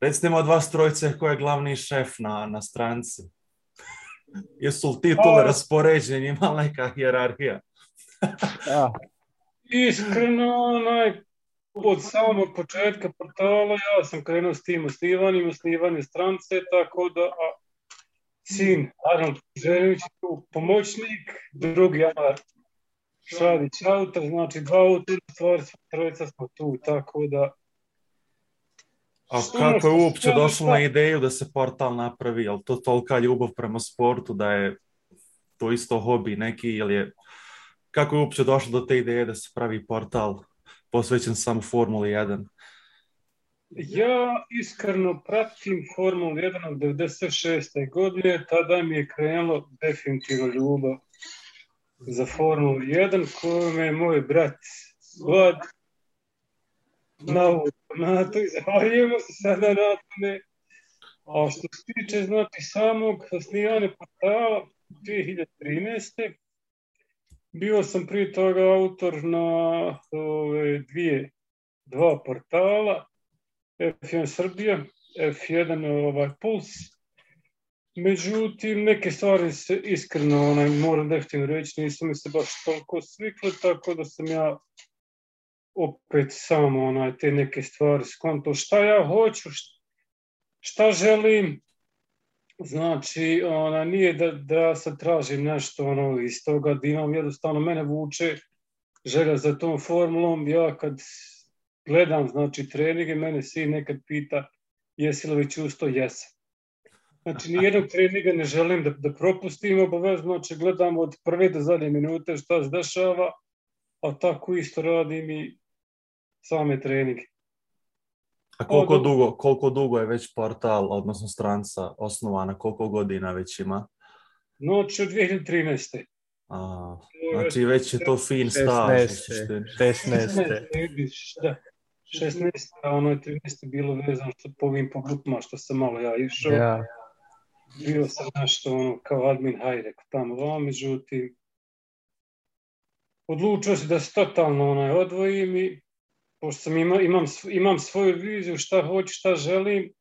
Recite mi od vas trojice ko je glavni šef na stranci. Jesu li titule Pa, raspoređeni, ima li neka hijerarhija? iskreno, od samog početka portala ja sam krenuo s tim osnivanjem strance, tako da sin Arnold Željević je tu pomoćnik, drugi Amar Šadić autor, znači 2 autora, stvari trojica smo tu, tako da... A kako je uopće došlo na ideju da se portal napravi? Je li to tolika ljubav prema sportu da je to isto hobi neki ili je... Kako je uopće došlo do te ideje da se pravi portal posvećen samo Formuli 1? Ja iskreno pratim Formulu 1 od 96. godine, tada mi je krenulo definitivno ljubav za Formulu 1, koju me je moj brat Vlad na to zahvaljujemo se sada na tome. A što se tiče znači samog osnivanja portala 2013. Bio sam prije toga autor na dva portala, F1 Srbija, F1 Puls. Međutim, neke stvari se iskreno, moram definitivno reći, nisu mi se baš toliko svikle, tako da sam ja opet samo te neke stvari skonto. Šta ja hoću, šta želim, znači, nije da sad tražim nešto iz toga, da imam jednostavno, mene vuče želja za tom formulom. Ja kad gledam, znači, treninge, mene sin nekad pita jesi li već usto, jesam. Znači, nijednog treninga ne želim da propustim obavezno, znači gledam od prve do zadnje minute šta se dešava, a tako isto radim i same treninge. A koliko dugo je već portal, odnosno stranca osnovana, koliko godina već ima? Znači, od 2013. Znači, već je to fin staž. 16. 13. bilo vezano po ovim grupama što sam malo ja išao. Ja. Bio sam nešto kao admin hajrek tamo vam, međutim odlučio se da se totalno odvojim i pošto sam imam svoju viziju šta hoću, šta želim,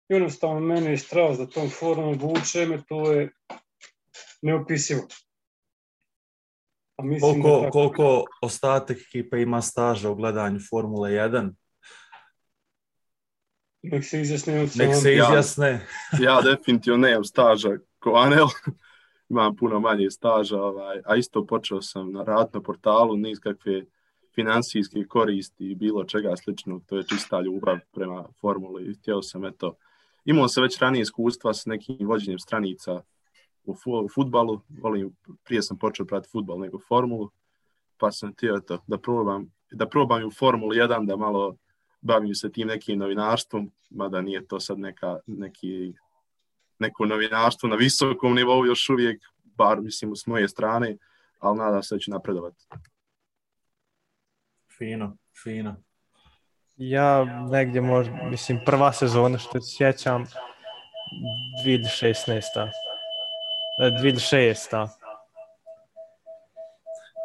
jednostavno mene je strast da tom formom vuče me, to je neopisivo. Koliko ostatak ekipe ima staža u gledanju Formule 1? Nek se izjasne. Ja definitivno nemam staža ko Anel. Imam puno manje staža, a isto počeo sam raditi na portalu, niz kakve finansijske koristi i bilo čega sličnog. To je čista ljubav prema formuli. Htio sam, imao sam već ranije iskustva s nekim vođenjem stranica u fudbalu. Prije sam počeo pratiti fudbal nego formulu, pa sam htio da probam i u Formuli 1, da malo bavim se tim nekim novinarstvom, mada nije to sad neko novinarstvo na visokom nivou još uvijek, bar mislim s moje strane, ali nadam se da ću napredovati. Fino. Ja negdje mislim prva sezona što se sjećam 2006.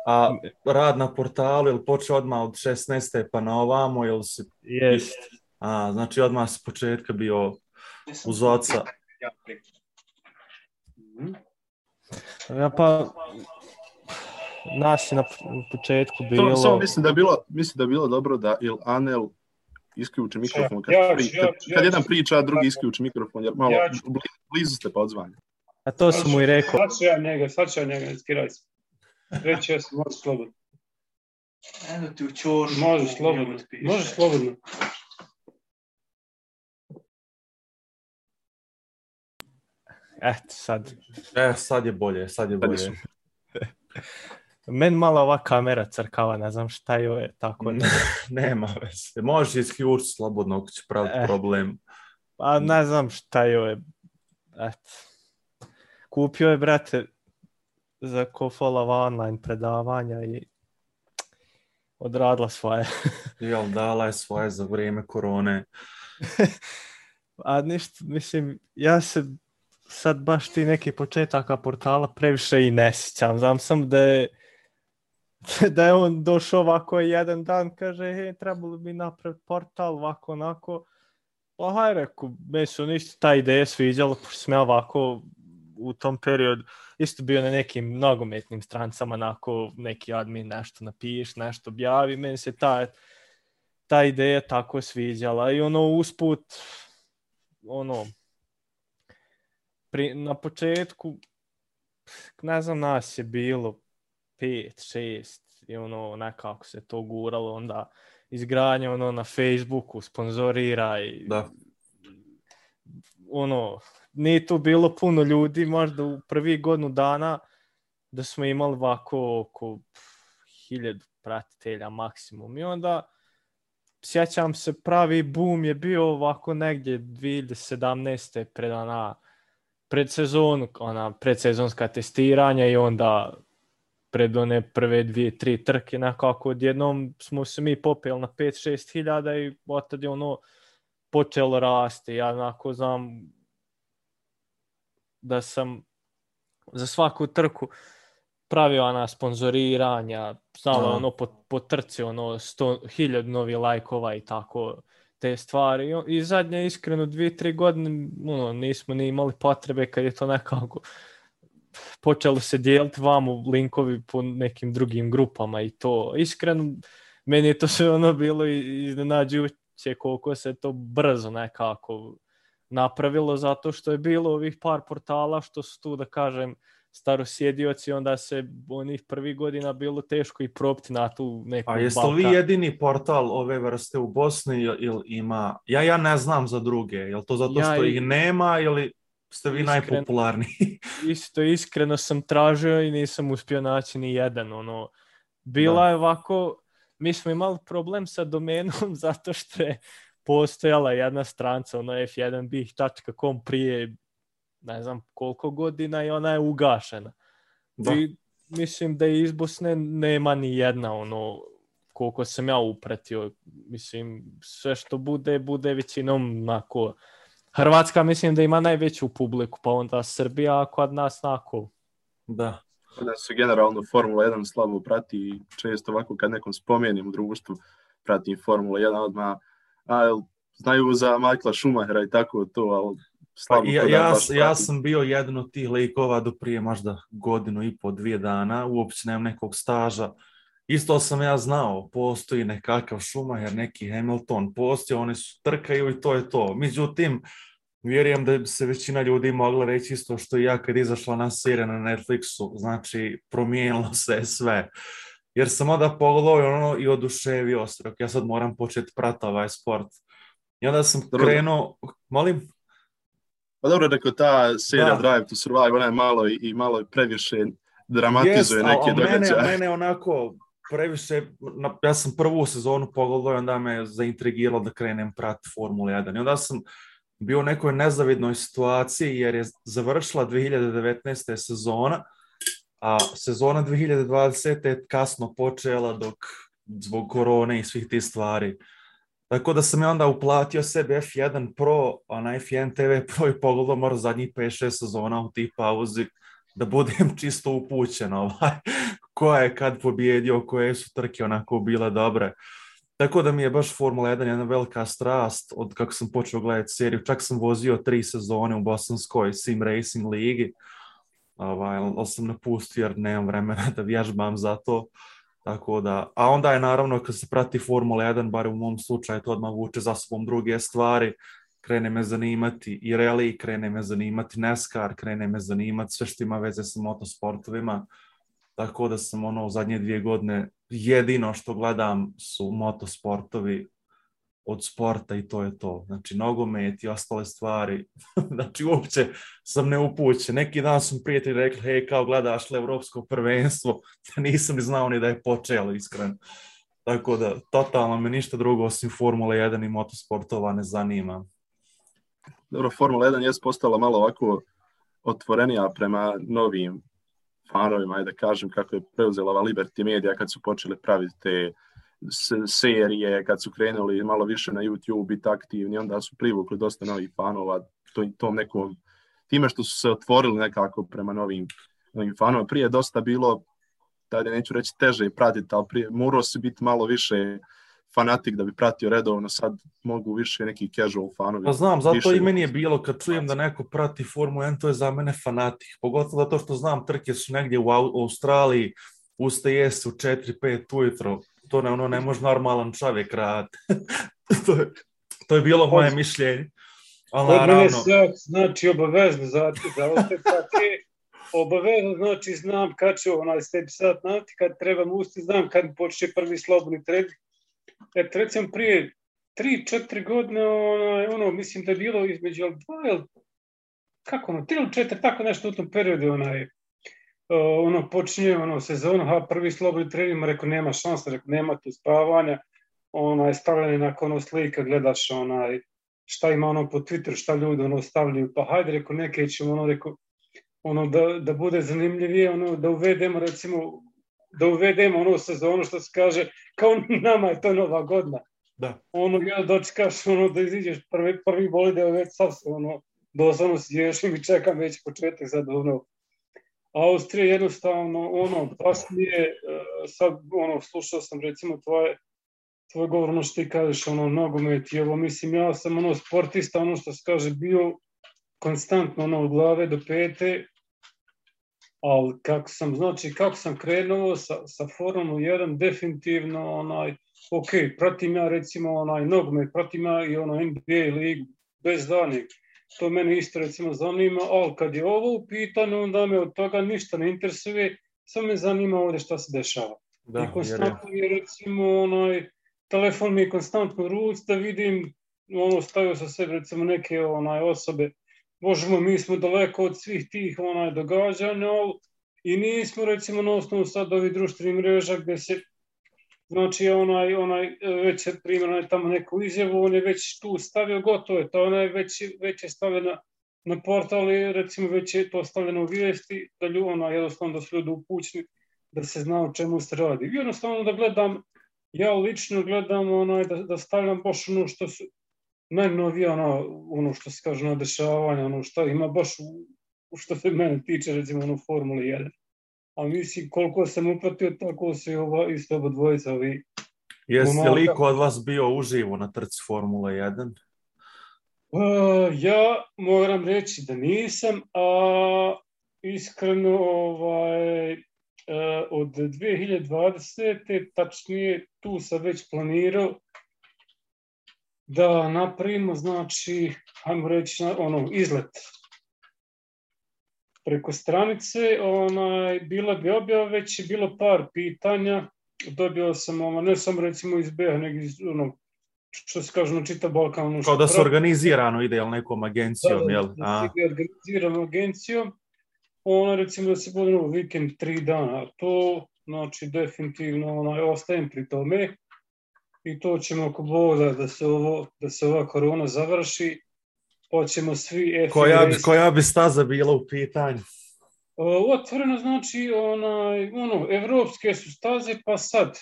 A rad na portalu, je li počeo odmah od 16. pa na ovamo, ili si... Jest. Znači odmah s početka bio uz oca. Ja pa... Nas je na početku bilo... Samo mislim da je bilo dobro da Anel isključi mikrofon kad jedan priča, drugi isključi mikrofon, jer malo blizu ste pa odzvanja. A to sam mu i rekao. Sad ću ja njega, skiraj se. Reći ja sam, možeš slobodno. Eno ti u čoru. Možeš slobodno. Sad. Sad je bolje. Meni malo ova kamera crkava, ne znam šta je tako. Nema veze. Možeš isključiti slobodno ako će praviti problem. Pa ne znam šta je. Kupio je, brate, za Kofolova online predavanja i odradila svoje. Jel, dala je svoje za vrijeme korone. A ništa, mislim, ja se sad baš ti neki početaka portala previše i ne sjećam. Znam sam da je on došao ovako jedan dan, kaže, trebalo bi napraviti portal ovako onako, Pa haj reku, meni su isto ta ideja sviđala, pošto sam ja ovako u tom periodu isto bio na nekim nogometnim strancama, onako neki admin nešto napiš, nešto objavi, meni se ta ideja tako sviđala i usput na početku ne znam, nas je bilo 5-6 i nekako se to guralo, onda izgradnja na Facebooku, sponzorira i nije tu bilo puno ljudi, možda u prvih godinu dana da smo imali ovako oko 1000 pratitelja maksimum i onda sjećam se, pravi boom je bio ovako negdje 2017. predsezonska testiranja i onda pred one prve 2-3 trke nekako odjednom smo se mi popeli na 5-6 hiljada i otad je počelo rasti. Ja onako znam da sam za svaku trku pravio sponzoriranja, znalo po trci 100.000 novi lajkova i tako te stvari. I zadnje iskreno 2-3 godine nismo ni imali potrebe kad je to nekako počelo se dijeliti vamo linkovi po nekim drugim grupama i to. Iskreno, meni je to sve bilo iznenađujuće koliko se to brzo nekako napravilo, zato što je bilo ovih par portala što su tu, da kažem, starosjedioci, onda se onih prvih godina bilo teško i propiti na tu neku A jeste li vi jedini portal ove vrste u Bosni ili ima? Ja ne znam za druge. Je li to zato što ih nema ili ste vi najpopularniji? Iskreno sam tražio i nisam uspio naći ni jedan. Bila je ovako, mi smo imali problem sa domenom zato što je postojala jedna stranca, f1bih.com prije ne znam koliko godina i ona je ugašena. I mislim da iz Bosne nema ni jedna, koliko sam ja upratio. Mislim, sve što bude većinom onako. Hrvatska mislim da ima najveću publiku, pa onda Srbija, a kod nas onako. Da. Kod nas se generalno Formula 1 slabo prati i često ovako kad nekom spomenem u društvu pratim Formula 1 odmah, znaju za Michaela Schumachera i tako to, ali ja sam bio jedan od tih likova do prije možda 1.5-2 dana, uopće nemam nekog staža. Isto sam ja znao, postoji nekakav Schumacher, neki Hamilton, postoji, oni su trkaju i to je to. Međutim, vjerujem da bi se većina ljudi mogla reći isto što i ja kad izašla na serija na Netflixu, znači promijenilo se sve. Jer sam onda pogledao i oduševio se, ja sad moram početi pratiti ovaj sport. I onda sam krenuo, molim? Pa dobro, rekao ta serija Drive to Survive, ona je malo previše dramatizuje neke događaje. Mene onako previše, ja sam prvu sezonu pogledao i onda me zaintrigiralo da krenem prati Formula 1. I onda sam bio u nekoj nezavidnoj situaciji jer je završila 2019. sezona, a sezona 2020. je kasno počela zbog korone i svih tih stvari. Tako da sam ja onda uplatio sebi F1 Pro, a na F1 TV Pro i pogledao možda zadnjih 5-6 sezona u tih pauzi da budem čisto upućen ko je kad pobjedio, koje su trke onako bile dobre. Tako da mi je baš Formula 1 jedna velika strast od kako sam počeo gledati seriju. Čak sam vozio 3 sezone u bosanskoj Sim Racing ligi, ali sam napustio jer nemam vremena da vježbam za to. Tako da, a onda je naravno kad se prati Formula 1, bar u mom slučaju to odmah vuče za sobom druge stvari, krene me zanimati i rally, krene me zanimati NASCAR, krene me zanimati sve što ima veze sa motosportovima, tako da sam u zadnje 2 godine jedino što gledam su motosportovi od sporta i to je to. Znači nogomet i ostale stvari, znači uopće sam neupućen. Neki dan su prijatelji rekli, hej, kao gledaš li evropsko prvenstvo, nisam ni znao ni da je počelo, iskreno. Tako da, totalno me ništa drugo osim Formula 1 i motosportova ne zanima. Dobro, Formula 1 je postala malo ovako otvorenija prema novim fanovima, da kažem, kako je preuzela Liberty Media kad su počeli praviti te serije, kad su krenuli malo više na YouTube biti aktivni, onda su privukli dosta novih fanova tom nekom, time što su se otvorili nekako prema novim fanova. Prije je dosta bilo, da neću reći teže pratiti, ali prije morao se biti malo više fanatik da bi pratio redovno, sad mogu više neki casual fanovi. Pa znam, zato više i meni je bilo kad čujem da neko prati Formulu 1, to je za mene fanatik. Pogotovo zato što znam trke su negdje u Australiji, ustaje se u 4-5 ujutro. To ne može normalan čovjek raditi. to je bilo moje mišljenje. Kod mene znači obavezno za oste trke. Obavezno znači znam kad ću stepi sat navti, kad trebam usti, znam kad počne prvi slobodni trening. Recimo prije 3-4 godine, mislim da je bilo između 2 ili kako 3 ili 4, tako nešto u tom periodu, počinje sezonu, prvi slobodni trening, rekao nema šanse, rekao nema tu spavanja, stavljanje nakon slika, gledaš šta ima po Twitteru, šta ljudi stavljaju, pa hajde, rekao neke ćemo, da bude zanimljivije, da uvedemo recimo, sezonu što se kaže, kao nama je to nova godina. Da. Ja dočekaš, da iziđeš prvi bolide, već sad se, doslovno sješ i čekam već početak sad, Austrija jednostavno, baš mi je, sad, slušao sam recimo tvoj govor, što ti kažeš, nogomet i ovo, mislim, ja sam, sportista, što se kaže, bio konstantno, od glave do pete, ali kako sam krenuo sa Formulom 1, definitivno, ok, pratim ja recimo nogomet, pratim ja i NBA ligu, bez danih, to mene isto recimo zanima, ali kad je ovo u pitanju, onda me od toga ništa ne interesuje, samo me zanima ovdje šta se dešava. Da, i konstantno je recimo, telefon mi je konstantno u ruci da vidim, stavio sa sebe recimo neke osobe, Božemo, mi smo daleko od svih tih događanja i nismo recimo na osnovu sad ovih društvenih mreža gdje se, znači već je primjer tamo neku izjavu, on je već tu stavio, gotovo je to, već je stavljena na portali, recimo već je to stavljeno u vijesti, da jednostavno da su ljudi upućni, da se zna o čemu se radi. I jednostavno da gledam, ja lično gledam da stavljam baš što su najnovije što se kaže dešavanja, što ima baš što se mene tiče recimo Formule 1. A mislim koliko sam upratio, tako su isto oba dvojica ovi. Jeste li ko od vas bio uživo na trci Formule 1? Ja moram reći da nisam, a iskreno od 2020. tačnije tu sam već planirao da napravimo, znači, hajmo reći, izlet preko stranice, bila bi objava, već je bilo par pitanja, dobio sam, ne samo recimo iz BiH, nego iz, što se kaže, čitav Balkan. Kao da se organizirano ide, jel, nekom agencijom, jel? Da se ide organizirano agencijom, recimo da se bude vikend 3 dana, to, znači, definitivno, ostajem pri tome, i to ćemo ako Boga da se ova korona završi, pa ćemo svi... Koja bi staza bila u pitanju? Otvoreno znači, evropske su staze, pa sad,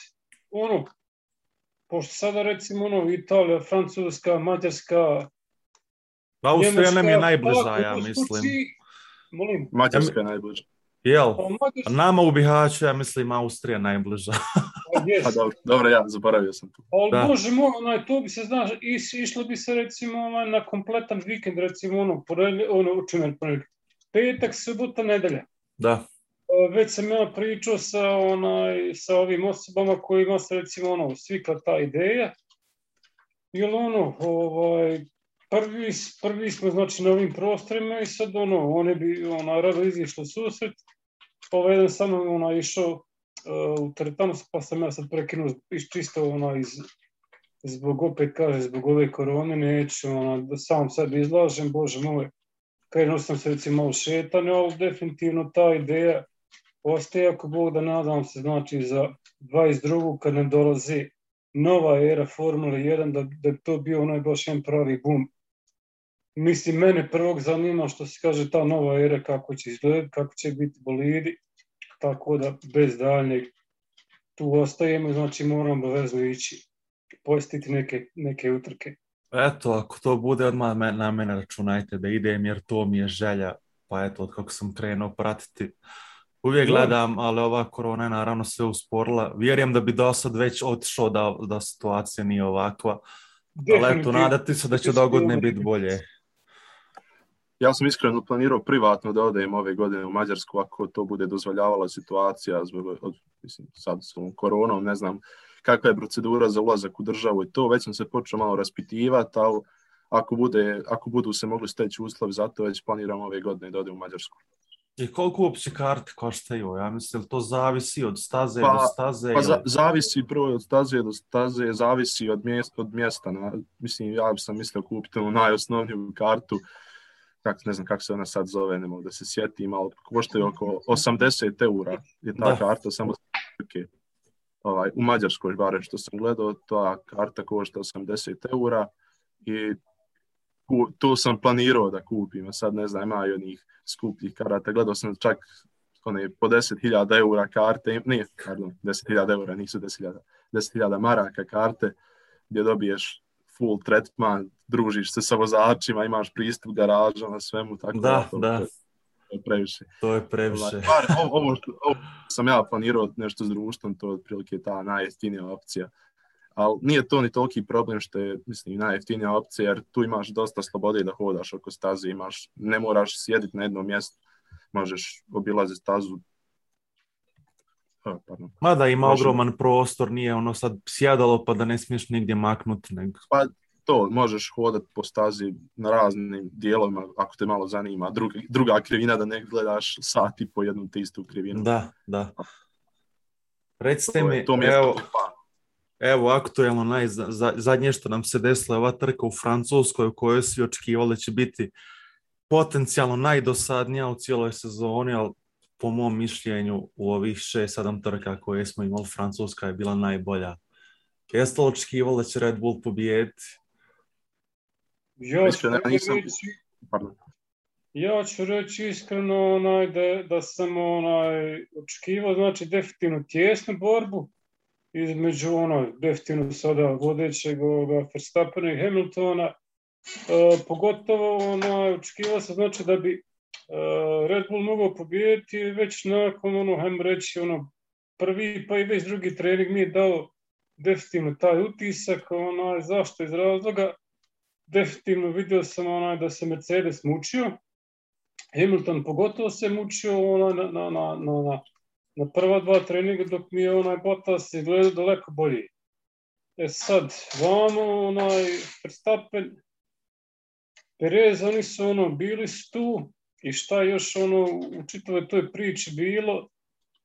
pošto sada recimo Italija, Francuska, Mađarska, Austrija nam je najbliža, ja mislim. Molim? Mađarska je najbliža. Jel? Nama u Bihaću, ja mislim, Austrija najbliža. Dobro, ja zaboravio sam tu. Ali Bože moj, to bi se, znaš, išlo bi se recimo na kompletan vikend, recimo petak, subota, nedelja. Da. Već sam ja pričao sa ovim osobama kojima se recimo svikla ta ideja. Jer prvi smo znači na ovim prostorima i sad one bi rado izišli susret. Jedan samo išao u teretanu, pa sam ja sad prekinuo čisto zbog ove korone, neću da sam sebi izlažem, Bože moj, krenuo sam se recimo malo šetanje, ali definitivno ta ideja ostaje, ako Bog da nadam se, znači za 22. kad nam dolazi nova era Formule 1, da bi to bio baš jedan pravi boom. Mislim, mene prvog zanima što se kaže ta nova era, kako će izgledati, kako će biti bolidi, tako da bez daljnjeg tu ostajemo, znači moramo obavezno ići posjetiti neke utrke. Eto, ako to bude, odmah na mene računajte da idem, jer to mi je želja, pa eto, od kako sam krenuo pratiti Uvijek gledam, ali ova korona je naravno sve usporila. Vjerujem da bi do sad već otišao da situacija nije ovakva. Ali eto, nadati se da će dogodne biti bolje. Ja sam iskreno planirao privatno da odem ove godine u Mađarsku ako to bude dozvoljavala situacija sad s ovom koronom, ne znam kakva je procedura za ulazak u državu i to, već sam se počeo malo raspitivati, ali ako budu se mogli steći uslovi za to, već planiram ove godine da odem u Mađarsku. I koliko uopće karte koštaju? Ja mislim, to zavisi od staze do staze? Zavisi prvo od staze do staze, zavisi od mjesta. Mislim, ja sam mislio kupiti najosnovniju kartu, ne znam kako se ona sad zove, ne mogu da se sjetim, ali koštaju oko 80 eura je ta karta, samo u Mađarskoj, barem što sam gledao, ta karta košta 80 eura i to sam planirao da kupim, a sad ne znam, ima i onih skupljih karata, gledao sam čak po 10.000 eura karte, 10.000 eura, nisu 10.000 maraka karte, gdje dobiješ full tretman, družiš se sa vozačima, imaš pristup garažama, svemu, tako da. To je previše. To je previše. Ovo sam ja planirao nešto s društvom, to je otprilike ta najjeftinija opcija. Ali nije to ni toliki problem što je, mislim, najjeftinija opcija, jer tu imaš dosta slobode da hodaš oko staze, ne moraš sjediti na jednom mjestu, možeš obilaziti stazu. Mada ima ogroman prostor, nije ono sad sjedalo pa da ne smiješ nigdje maknuti. Pa to, možeš hodati po stazi na raznim dijelovima, ako te malo zanima. Druga krivina da ne gledaš sati po jednu te istu krivinu. Da. Recite mi, evo aktuelno zadnje što nam se desila ova trka u Francuskoj u kojoj svi očekivali da će biti potencijalno najdosadnija u cijeloj sezoni, ali po mom mišljenju u ovih 6-7 trka koje smo imali, Francuska je bila najbolja. Jeste li očekivali da će Red Bull pobijediti? Ja ću reći iskreno da sam očekivao, znači definitivno tjesnu borbu između definitivno sada vodećeg Verstappena i Hamiltona. Pogotovo očekivao sam znači da bi Red Bull mogao pobijediti već nakon hajmo reći prvi pa i već drugi trening mi je dao definitivno taj utisak, zašto iz razloga definitivno vidio sam da se Mercedes mučio, Hamilton pogotovo se mučio na prva dva treninga, dok mi je Bottas izgledao daleko bolji. Sad, vamo Verstappen, Perez, oni su bili tu i šta još u čitavoj toj priči bilo,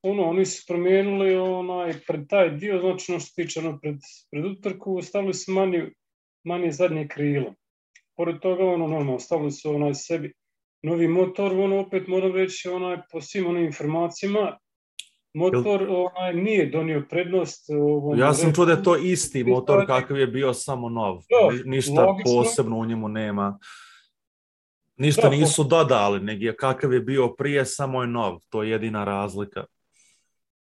oni su promijenili pred taj dio, znači što se tiče pred utrku, stavili su manje zadnje krilo. Pored toga, normalno, stavili su sebi novi motor, opet moram reći, po svim onim informacijama, motor nije donio prednost. Ja sam čuo da je to isti motor kakav je bio, samo nov. Ništa posebno u njemu nema. Ništa nisu dodali, nego kakav je bio prije, samo je nov. To je jedina razlika.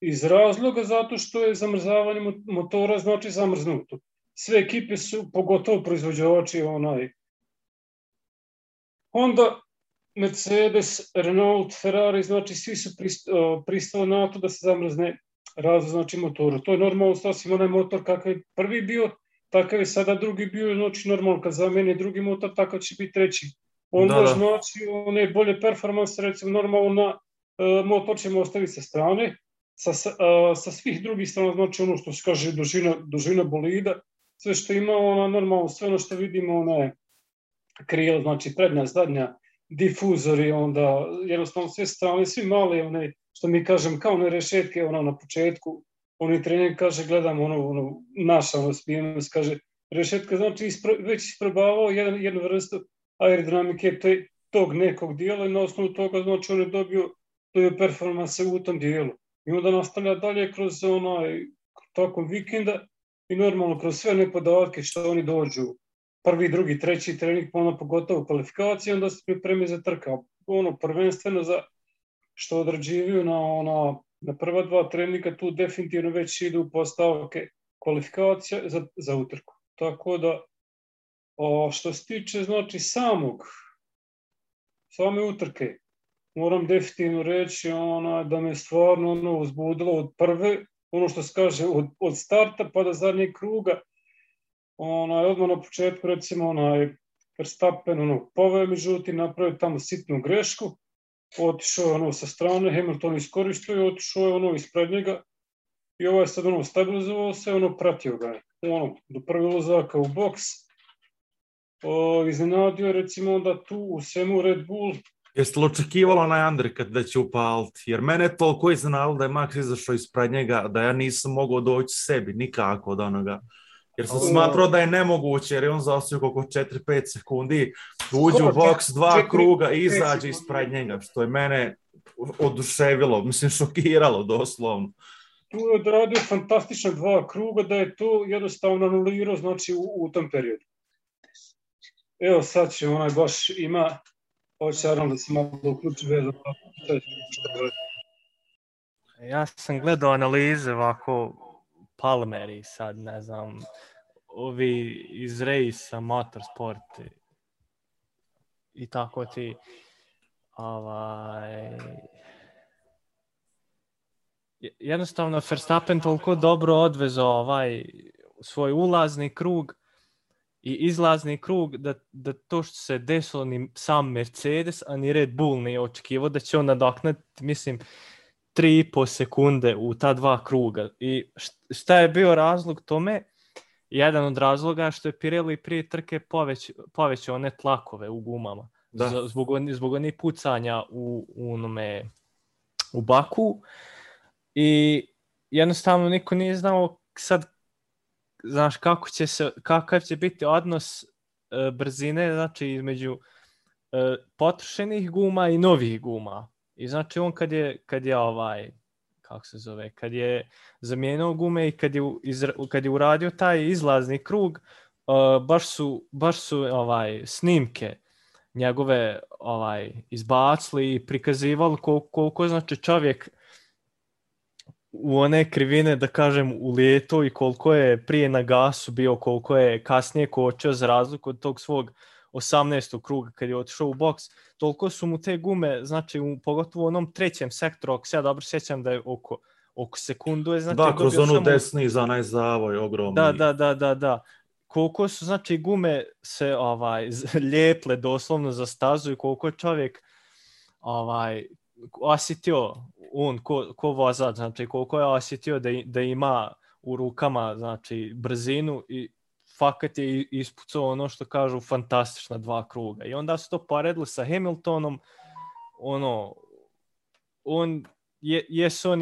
Iz razloga zato što je zamrzavanje motora znači zamrznuto. Sve ekipe su, pogotovo proizvođači, Honda, Mercedes, Renault, Ferrari, znači svi su pristali na to da se zamrzne razvoj, znači motoru. To je normalno, sasvim onaj motor kakav je prvi bio, takav je sada drugi bio, znači normalno kad zameni drugi motor, takav će biti treći. Onda znači one bolje performanse, recimo normalno motor ćemo ostaviti sa strane, sa svih drugih strana, znači ono što se kaže dužina bolida, sve što ima normalno, sve ono što vidimo, krila, znači prednja, zadnja, difuzori, onda jednostavno sve strane, svi mali, što mi kažem, kao one rešetke na početku, oni trener kaže, gledam naša spijenost, kaže, rešetka znači već isprobavao jednu vrstu aerodinamike tog nekog dijela i na osnovu toga znači on je dobio performanse u tom dijelu. I onda nastavlja dalje kroz tokom vikenda i normalno kroz sve one podatke što oni dođu, prvi, drugi, treći trening, pogotovo kvalifikacije, onda se pripremi za trka. Prvenstveno za što odrađivaju na prva dva treninga, tu definitivno već idu postavke kvalifikacija za utrku. Tako da, što se tiče znači same utrke, moram definitivno reći da me stvarno uzbudilo od prve, ono što se kaže od starta pa do zadnjeg kruga. Odmah na početku recimo Verstappen poveo, međutim napravio tamo sitnu grešku, otišao je sa strane, Hamilton iskoristio i otišao je ispred njega i ovaj sad stabilizovao se, pratio ga je. Do prvi ulazaka u boks, iznenadio je recimo onda tu u svemu Red Bull. Jeste li očekivalo onaj undercut da će upaliti? Jer mene je toliko iznenadilo da je Max izašao ispred njega, da ja nisam mogao doći sebi nikako od onoga. Jer sam smatrao da je nemoguće, jer je on zaostio koliko 4-5 sekundi, uđe u boks 2 kruga i izađe ispred njega, što je mene oduševilo, mislim šokiralo doslovno. Tu je odradio fantastična 2 kruga, da je to jednostavno anulirao, znači u tom periodu. Evo sad će baš ima, hoće naravno da se malo uključi vezano. Ja sam gledao analize ovako Palmeri sad, ne znam, ovi iz Rejsa, Motorsport i tako ti jednostavno Verstappen toliko dobro odvezao svoj ulazni krug i izlazni krug da to što se desilo ni sam Mercedes, a ni Red Bull nije očekivao da će on nadoknaditi, mislim, 3,5 sekunde u ta 2 kruga. I šta je bio razlog tome? Jedan od razloga što je Pirelli prije trke povećao one tlakove u gumama. Zbog onih pucanja u Baku. I jednostavno niko nije znao sad, znaš, kakav će biti odnos brzine, znači između potrošenih guma i novih guma. I znači on kad je zamijenio gume i kad je uradio taj izlazni krug, baš su snimke njegove izbacili i prikazivali koliko znači čovjek u one krivine, da kažem, ulijeto i koliko je prije na gasu bio, koliko je kasnije kočio za razliku od tog svog 18. kruga kad je otišao u boks. Toliko su mu te gume, znači pogotovo u onom trećem sektoru, ako se ja dobro sjećam da je oko sekundu je, znači, da, kroz onu desni za onaj zavoj ogromni. Da. Koliko su, znači, gume se lijeple doslovno za stazu i koliko je čovjek osjetio, on ko vozač, znači koliko je osjetio da ima u rukama, znači, brzinu i fakat je ispucao ono što kažu fantastična 2 kruga. I onda su to poredili sa Hamiltonom, on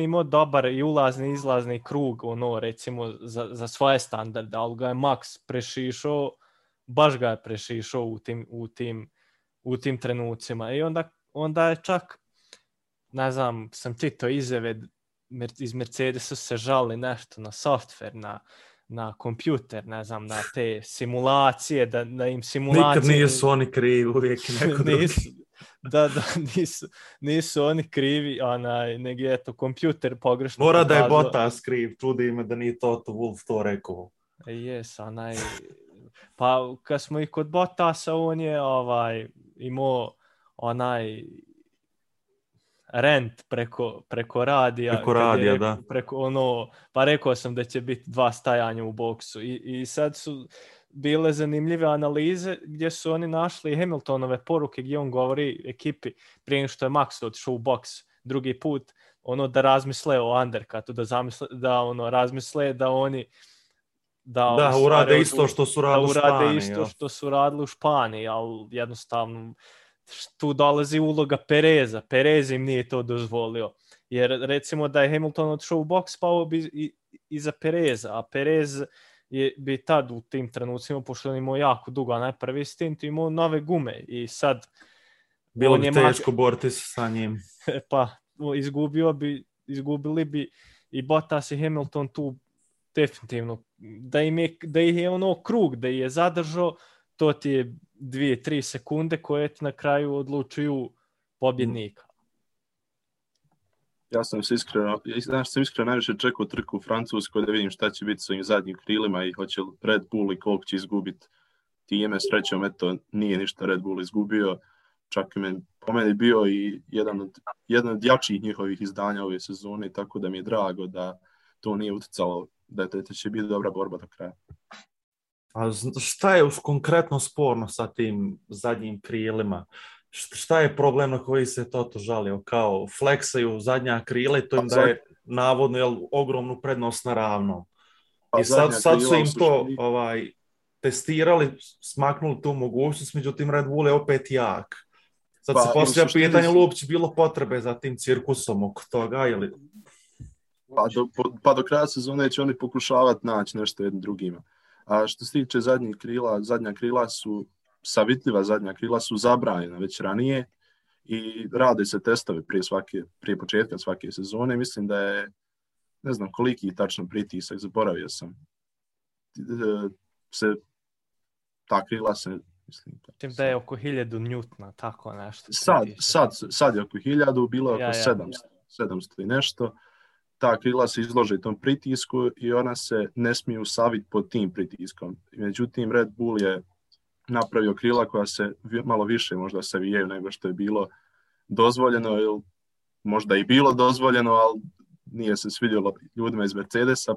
imao dobar i ulazni i izlazni krug, recimo za svoje standarde, ali ga je Max prešišao, baš ga je prešišao u tim trenucima. I onda je čak, ne znam, sam čitao izjave iz Mercedesa se žali nešto na softver, na kompjuter, ne znam, na te simulacije, da im simulacije... Nikad nisu oni krivi, uvijek neko drugi. Nisu oni krivi, nego je to kompjuter pogrešno. Mora da je Bottas kriv, čudi me da nije Toto Wolff to rekao. Pa kad smo i kod Bottasa, on je imao rent preko radija. Preko radija, da. Pa rekao sam da će biti 2 stajanja u boksu. I sad su bile zanimljive analize gdje su oni našli Hamiltonove poruke gdje on govori ekipi prije što je Max otišao u boks drugi put, da razmisle o undercutu, da razmisle da oni urade isto što su radili u Španiji. Da urade isto što su radili u Španiji, ali jednostavno tu dolazi uloga Pereza. Perez im nije to dozvolio. Jer recimo da je Hamilton otišao u boks, pao bi iza Pereza, a Perez bi tad u tim trenucima, pošto on imao jako dugo, a najprvi stint imao nove gume i sad... Bilo bi teško boriti se sa njim. Pa, izgubili bi i Bottas i Hamilton tu definitivno. Da ih je krug, da ih je zadržao, to ti je 2-3 sekunde koje ti na kraju odlučuju pobjednika. Ja sam iskreno najviše čekao trku u Francuskoj da vidim šta će biti s ovim zadnjim krilima i hoće li Red Bull i koliko će izgubiti time. Srećom, eto, nije ništa Red Bull izgubio. čak po meni bio i jedan od jačih njihovih izdanja ove sezone, tako da mi je drago da to nije utjecalo, da će biti dobra borba do kraja. A šta je konkretno sporno sa tim zadnjim krilima? Šta je problem na koji se Toto žalio? Kao fleksaju zadnja krila i to im daje navodno ogromnu prednost na ravnom. I sad su im to testirali, smaknuli tu mogućnost, međutim Red Bull je opet jak. Sad se poslije pitanje li uopće bilo potrebe za tim cirkusom oko toga ili... Pa do kraja sezone će oni pokušavati naći nešto jednim drugima. A što se tiče zadnjih krila, zadnja krila su zabranjena već ranije i rade se testovi prije početka svake sezone. Mislim da je, ne znam koliki tačno pritisak, zaboravio sam. Ta krila se... Mislim da je oko 1000 njutna, tako nešto. Sad je oko 1000, bilo je oko 700 i nešto. Ta krila se izlože tom pritisku i ona se ne smiju saviti pod tim pritiskom. Međutim, Red Bull je napravio krila koja se malo više možda savijaju nego što je bilo dozvoljeno, ili možda i bilo dozvoljeno, ali nije se svidjelo ljudima iz Mercedesa,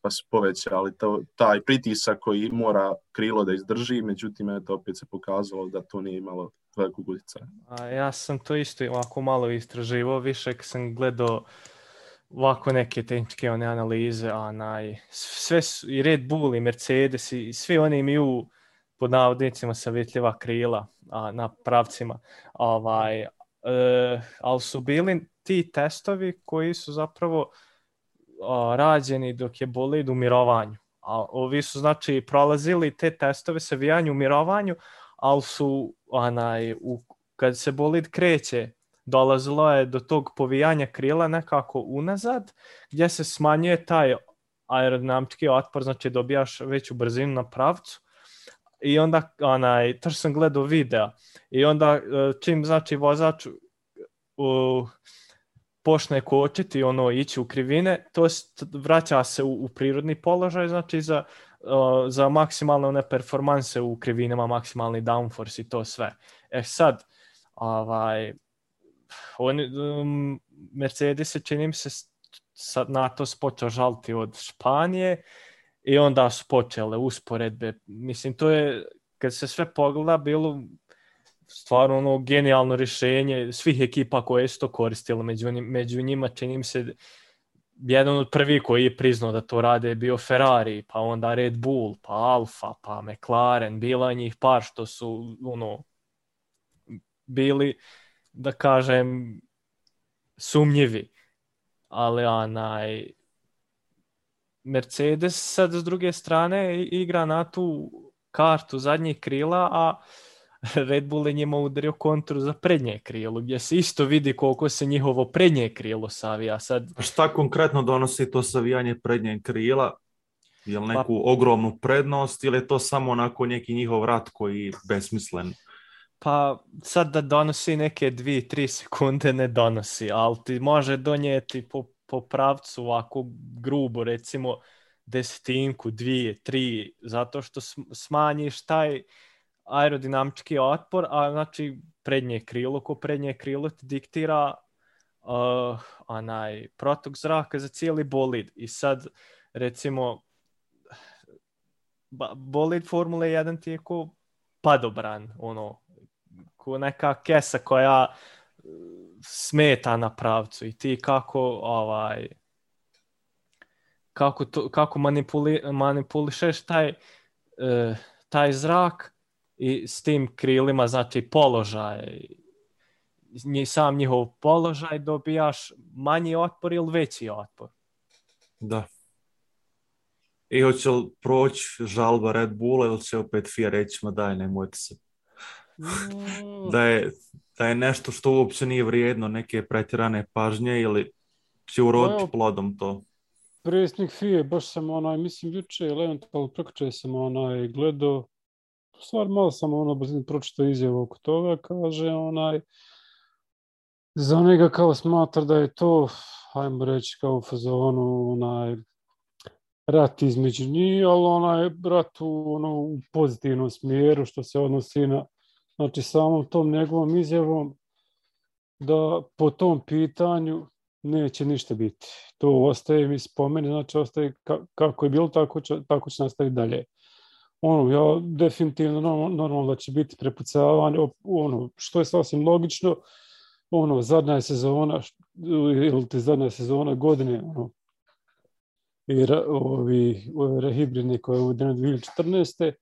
pa su povećali taj pritisak koji mora krilo da izdrži, međutim, opet se pokazalo da to nije imalo velikog utjecaja. Ja sam to isto ovako malo istraživao, više kad sam gledao ovako neke tehničke analize, sve su, i Red Bull i Mercedes i svi oni imaju pod navodnicima savjetljiva krila na pravcima, ali su bili ti testovi koji su zapravo rađeni dok je bolid u mirovanju. A ovi su znači prolazili te testove savijanja u mirovanju, ali su kad se bolid kreće, dolazilo je do tog povijanja krila nekako unazad, gdje se smanjuje taj aerodinamički otpor, znači dobijaš veću brzinu na pravcu. I onda, taš sam gledao video, i onda čim znači vozač počne kočiti, ići u krivine, to vraća se u prirodni položaj, znači za maksimalne performanse u krivinama, maksimalni downforce i to sve. Sad, Mercedes čini mi se na to počeo žaliti od Španije i onda su počele usporedbe. Mislim, to je, kad se sve pogleda, bilo stvarno genijalno rješenje svih ekipa koje su to koristile. Među njima čini mi se jedan od prvih koji je priznao da to rade je bio Ferrari, pa onda Red Bull, pa Alfa, pa McLaren, bila njih par što su bili, da kažem, sumnjivi. Ali Mercedes sad s druge strane igra na tu kartu zadnjih krila, a Red Bull je njima udario kontru za prednje krilo, gdje se isto vidi koliko se njihovo prednje krilo savija. Sad... Šta konkretno donosi to savijanje prednjeg krila? Je li neku ogromnu prednost ili je to samo onako neki njihov rat koji je besmislen? Pa sad da donosi neke 2-3 sekunde ne donosi, ali ti može donijeti po pravcu ovako grubo, recimo 10, 2, 3, zato što smanjiš taj aerodinamički otpor, a znači prednje krilo ti diktira protok zraka za cijeli bolid. I sad recimo bolid Formule 1 ti je ko padobran, ko neka kesa koja smeta na pravcu i ti kako manipulišeš taj zrak i s tim krilima, znači položaj, sam njihov položaj, dobijaš manji otpor ili veći otpor. Da. I hoće li proći žalba Red Bulla ili će opet FIA reći, ma daj, nemojte se. Da je nešto što uopće nije vrijedno neke pretjerane pažnje ili će uroditi plodom to. Predsjednik FIA, baš sam mislim juče ili eventualno prekjuče sam gledao, stvar malo sam pročitao izjavu oko toga, kaže za njega kao smatra da je to, ajmo reći, kao u fazonu rat između njih, ali rat u pozitivnom smjeru što se odnosi na znači samom tom njegovom izjavom da po tom pitanju neće ništa biti. To ostaje mi spomeni, znači ostaje kako je bilo, tako će nastaviti dalje. Ja definitivno normalno da će biti prepucavanje, što je sasvim logično, zadnja sezona, ili ti zadnja sezona godine, i ovi hibridni koje je uvedeno 2014.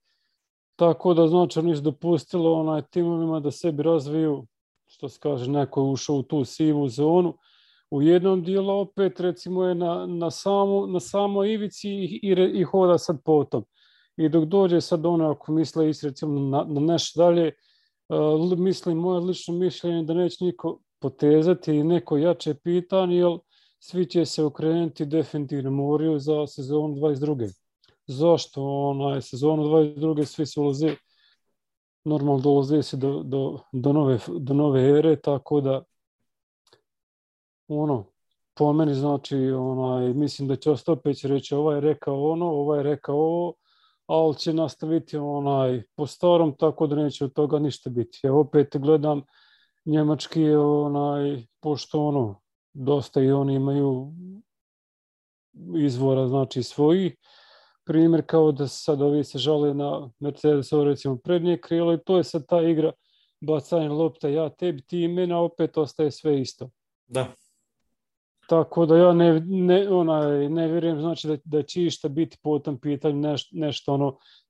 Tako da znači oni su dopustili timovima da sebi razviju, što se kaže, neko je ušao u tu sivu zonu. U jednom dijelu opet recimo je na samoj ivici i hoda sad potom. I dok dođe sad ako misle recimo na nešto dalje, mislim, moje lično mišljenje da neće niko potezati neko jače pitanje, jer svi će se okrenuti definitivno moraju za sezonu 22. Zašto? Sezonu 22. svi se ulaze, normalno dolaze se do nove ere, tako da po meni znači mislim da će Ostapeć reći ovaj je rekao ovaj je rekao ovo, ali će nastaviti po starom, tako da neće od toga ništa biti. Ja opet gledam njemački pošto dosta i oni imaju izvora znači svojih. Primjer kao da sad ovi se žale na Mercedesovo recimo prednje krilo i to je sad ta igra bacanje lopta, ja tebi, ti meni, a opet ostaje sve isto. Da. Tako da ja ne vjerujem znači da će išta biti po tom pitanju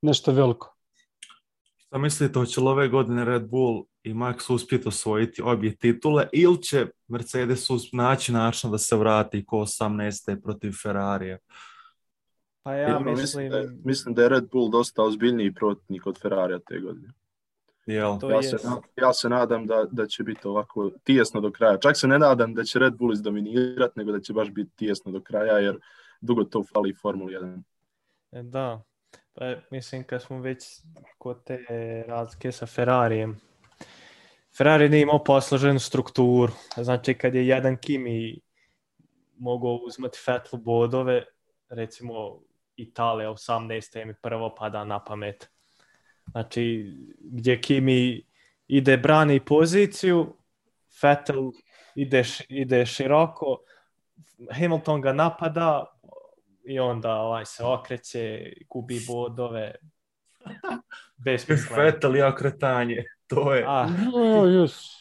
nešto veliko. Šta mislite, hoće li ove godine Red Bull i Max uspjeti osvojiti obje titule ili će Mercedes naći način da se vrati ko 18. protiv Ferrarija? Pa ja mislim da je Red Bull dosta ozbiljniji protivnik od Ferrarija te godine. Ja se nadam da će biti ovako tijesno do kraja. Čak se ne nadam da će Red Bull izdominirati, nego da će baš biti tijesno do kraja, jer dugo to fali Formula 1. Da, pa mislim kad smo već kod te razlike sa Ferrarijem, Ferrari nije imao posloženu strukturu. Znači kad je jedan Kimi mogao uzmati Vettelu bodove, recimo Italija 18. mi prvo pada na pamet. Znači, gdje Kimi ide brani poziciju, Vettel ide široko, Hamilton ga napada i onda se okreće, gubi bodove. Besmisleno. Vettel i okretanje, to je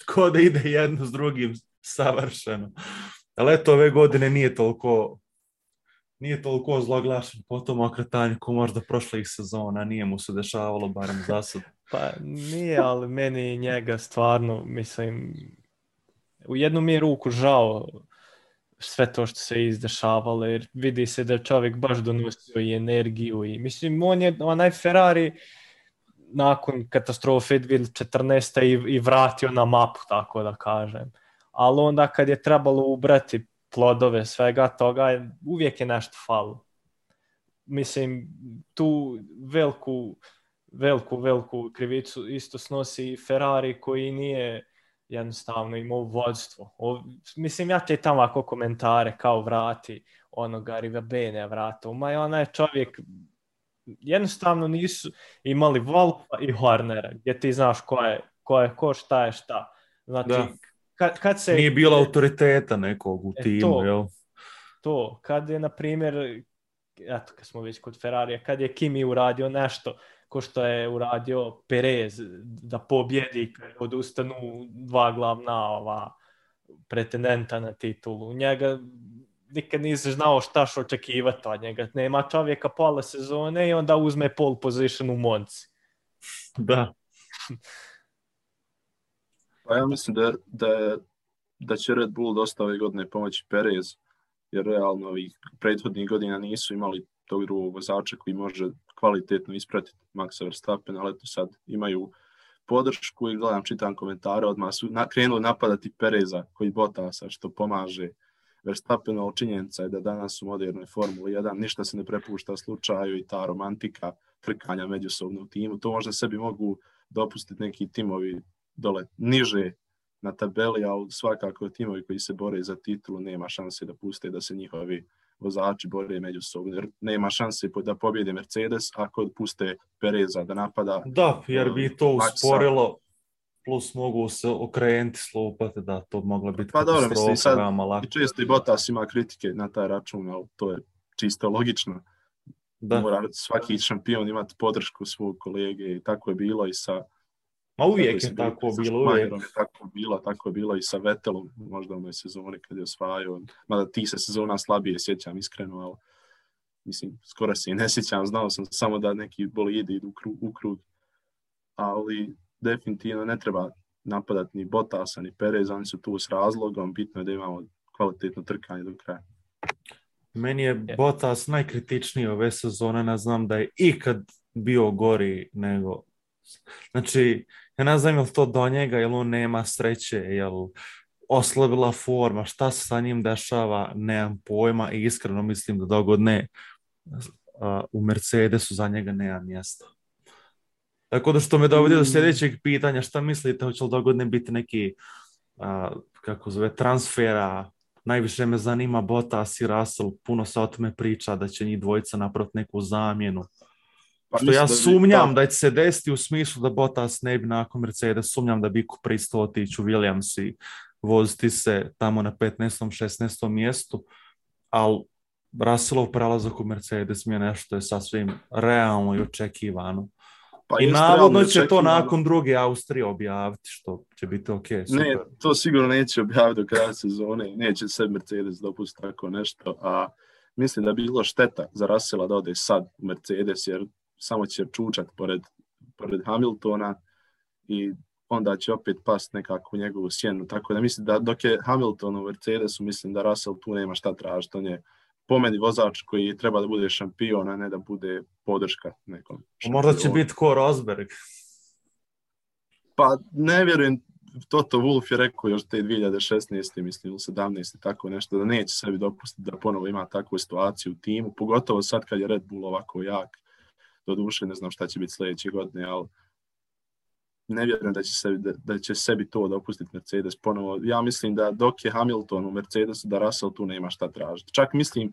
ko da ide jedno s drugim savršeno. Ali eto, ove godine nije toliko zloglašen po tom okretanju ko možda prošlih sezona, nije mu se dešavalo, barem za sad. Pa nije, ali meni njega stvarno, mislim, u jednu mi je ruku žao sve to što se izdešavalo, jer vidi se da čovjek baš donosio i energiju i mislim, on je onaj Ferrari nakon katastrofe 2014. i vratio na mapu, tako da kažem. Ali onda kad je trebalo ubrati plodove svega toga, uvijek je nešto falo. Mislim, tu veliku krivicu isto snosi Ferrari koji nije jednostavno imao vodstvo. Mislim, ja te tamo ako komentare kao vrati onoga Rivabene vrata. Onaj čovjek jednostavno nisu imali Wolfa i Hornera, gdje ti znaš ko je ko, šta je šta. Znači, kad se... Nije bilo autoriteta nekog u timu, jel? To, kad je, na primjer, eto, kad smo već kod Ferrarija, kad je Kimi uradio nešto ko što je uradio Perez da pobjedi kad odustanu dva glavna pretendenta na titulu. Njega nikad nisi znao šta što očekivati od njega. Nema čovjeka pola sezone i onda uzme pole position u Monci. Da. Pa ja mislim da će Red Bull dosta ove godine pomoći Perez, jer realno ovih prethodnih godina nisu imali tog drugog vozača koji može kvalitetno ispratiti Maxa Verstappen, ali eto sad imaju podršku i čitam komentare, odmah su krenuli napadati Pereza koji Bottasa što pomaže Verstappenu, ali činjenica je da danas u modernoj Formuli 1 ništa se ne prepušta slučaju i ta romantika trkanja međusobno u timu. To možda sebi mogu dopustiti neki timovi dole niže na tabeli, ali svakako timovi koji se bore za titulu nema šanse da puste da se njihovi vozači bore međusobno, jer nema šanse da pobjede Mercedes ako puste Pereza da napada. Da, jer bi to usporilo plus mogu se okrenuti, slupati, da to mogla biti Pa dobro, mislim, katastrofa, sad veoma lako. i često i Bottas ima kritike na taj račun, ali to je čisto logično. Da. Mora svaki šampion imati podršku svog kolege i tako je bilo i sa... Ma uvijek je tako bilo, uvijek. Tako je bilo i sa Vettelom, možda u onoj sezoni kad je osvajao. Mada ti se sezona slabije sjećam iskreno, ali mislim, skoro se i ne sjećam, znao sam samo da neki bolidi idu u krug. Ali definitivno ne treba napadati ni Bottasa, ni Pereza, oni su tu s razlogom, bitno je da imamo kvalitetno trkanje do kraja. Meni je Bottas najkritičniji ove sezone, ne znam da je ikad bio gori nego... Znači, ja ne znam je li to do njega, jel on nema sreće, jel oslabila forma, šta se sa njim dešava, nemam pojma i iskreno mislim da dogodne u Mercedesu za njega nema mjesta. Tako da što me dovodi do sljedećeg pitanja, šta mislite, hoće li dogodne biti neki kako zove, transfera, najviše me zanima Bottas i Russell, puno se o tome priča da će njih dvojica napraviti neku zamjenu. Pa što ja sumnjam da će se desiti u smislu da Bottas ne bi nakon Mercedes, sumnjam da bi pristao otići u Williams i voziti se tamo na 15. 16. mjestu, ali Russellov prelazak u Mercedes mi je nešto je sasvim realno i očekivano. Pa i navodno će to nakon druge Austrije objaviti, što će biti ok. Super. Ne, to sigurno neće objaviti do kraja sezone, neće se Mercedes dopustiti tako nešto, a mislim da bi bilo šteta za Russella da ode sad u Mercedes, jer samo će čučat pored Hamiltona i onda će opet past nekako u njegovu sjenu. Tako da mislim da dok je Hamilton u Mercedesu, mislim da Russell tu nema šta tražiti. On je po meni vozač koji treba da bude šampion, a ne da bude podrška nekom šampionu. Možda će biti ko Rosberg. Pa ne vjerujem, Toto Wolff je rekao još te 2016. mislim, 17. tako nešto, da neće sebi dopustiti da ponovo ima takvu situaciju u timu, pogotovo sad kad je Red Bull ovako jak. Doduše ne znam šta će biti sljedeće godine, ali ne vjerujem da će sebi to dopustiti Mercedes ponovo. Ja mislim da dok je Hamilton u Mercedesu, da Russell tu nema šta tražiti. Čak mislim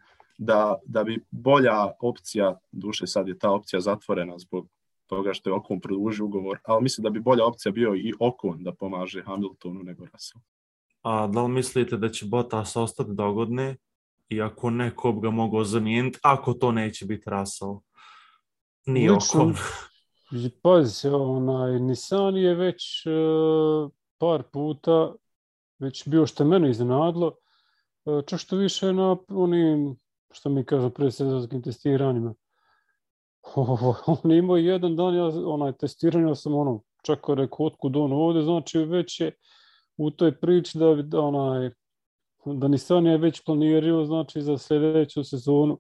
da bi bolja opcija, duše sad je ta opcija zatvorena zbog toga što je Ocon produžio ugovor, ali mislim da bi bolja opcija bio i Ocon da pomaže Hamiltonu nego Russell. A da li mislite da će Bottas ostati dogodne i ako ne, ko bi ga mogao zamijeniti, ako to neće biti Russell? Nije Ocon. Pazi, Nissan je već par puta već bio što mene iznenadilo, čak što više na onim, što mi kažu, predsezonskim testiranjima. On imao jedan dan, testiranja sam čak rekao otkud on ovdje, znači već je u toj priči da Nissan je već planirao, znači za sljedeću sezonu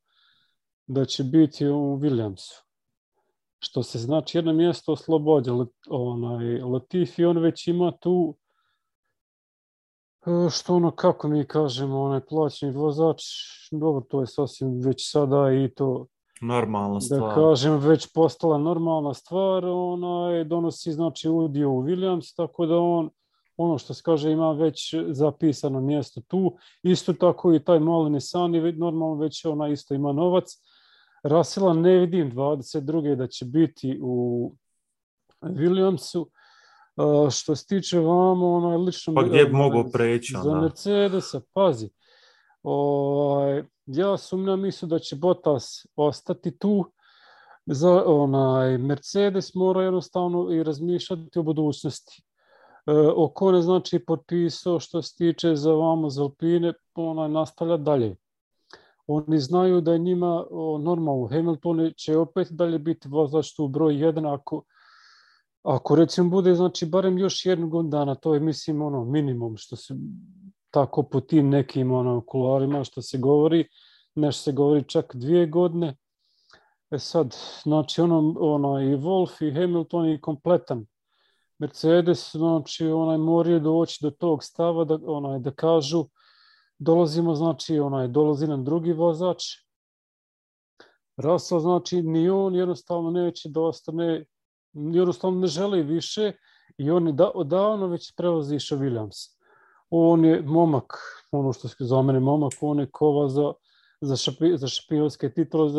da će biti u Williamsu. Što se znači jedno mjesto oslobođa. Latifi, on već ima tu, što kako mi kažemo, plaćeni vozač, dobro, to je sasvim već sada i to, normalna stvar. Da kažem, već postala normalna stvar, donosi znači udio u Williams, tako da on, ono što se kaže, ima već zapisano mjesto tu. Isto tako i taj mali Nissan je normalno već isto ima novac. Russella ne vidim 22. da će biti u Williamsu. Što se tiče vama, lično... Pa gdje bi mogao preći? Za Mercedesa, pazi. Ja sumnjam isto da će Bottas ostati tu. Za Mercedes mora jednostavno i razmišljati o budućnosti. Ocon je znači potpisao što se tiče za vama za Alpine, nastavlja dalje. Oni znaju da je njima normalno. Hamilton će opet dalje biti vozač tu broj 1 ako recimo bude znači barem još jednu godinu dana, to je mislim minimum što se tako po tim nekim kularima što se govori, nešto se govori čak 2 godine. Sad, znači i Wolff i Hamilton je kompletan. Mercedes, znači moraju doći do tog stava da kažu dolazimo, znači dolazi nam drugi vozač. Russell, znači ni on jednostavno neće da ostane, jednostavno ne želi više i on je odavno već prevozišao Williams. On je momak, ono što je za mene momak, on je kova za šampionske titule,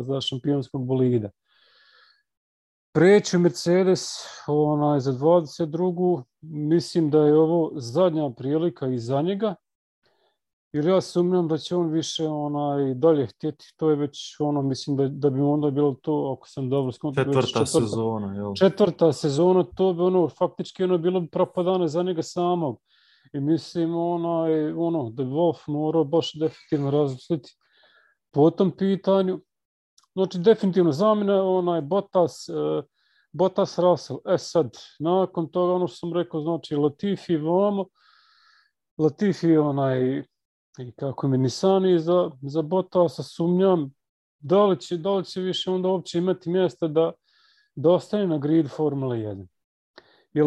za šampionskog bolida. preći Mercedes za 22. Mislim da je ovo zadnja prilika i za njega. Jer ja sumnjam da će on više dalje htjeti. To je već mislim da bi onda bilo to, ako sam dobro skontao, sezona, jel? Četvrta sezona, to bi faktički bilo bi propadane za njega samog. I mislim da bi Wolf morao baš definitivno razmisliti po tom pitanju. Znači, definitivno zamjena Bottas Russell. Sad, nakon toga što sam rekao, znači Latifi vamo, Latifi i kako mi Nisani za Bottasa, sumnjam da li će više onda uopće imati mjesta da ostane na grid Formula 1. Jer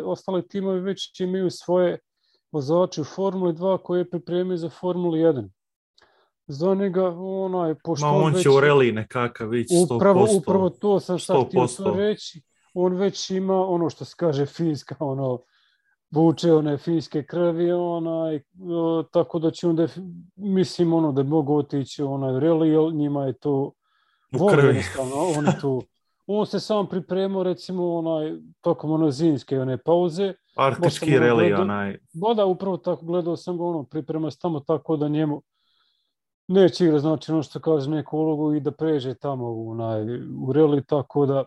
ostale timovi već imaju svoje vozače u Formuli 2 koje pripremaju za Formulu 1. Za njega, pošto on će u reli nekakav ići 100%. Upravo to sam sad htio to reći. On već ima ono što se kaže finska, vuče one finske krvi, tako da će onda, mislim, da mogu otići u reli, jer njima je to krvi. On se sam pripremao, recimo, tokom zimske pauze. Arktički reli, Da, upravo tako, gledao sam ga, priprema se tamo tako da njemu neće igra, znači ono što kaže, neku ulogu i da pređe tamo u reli, tako da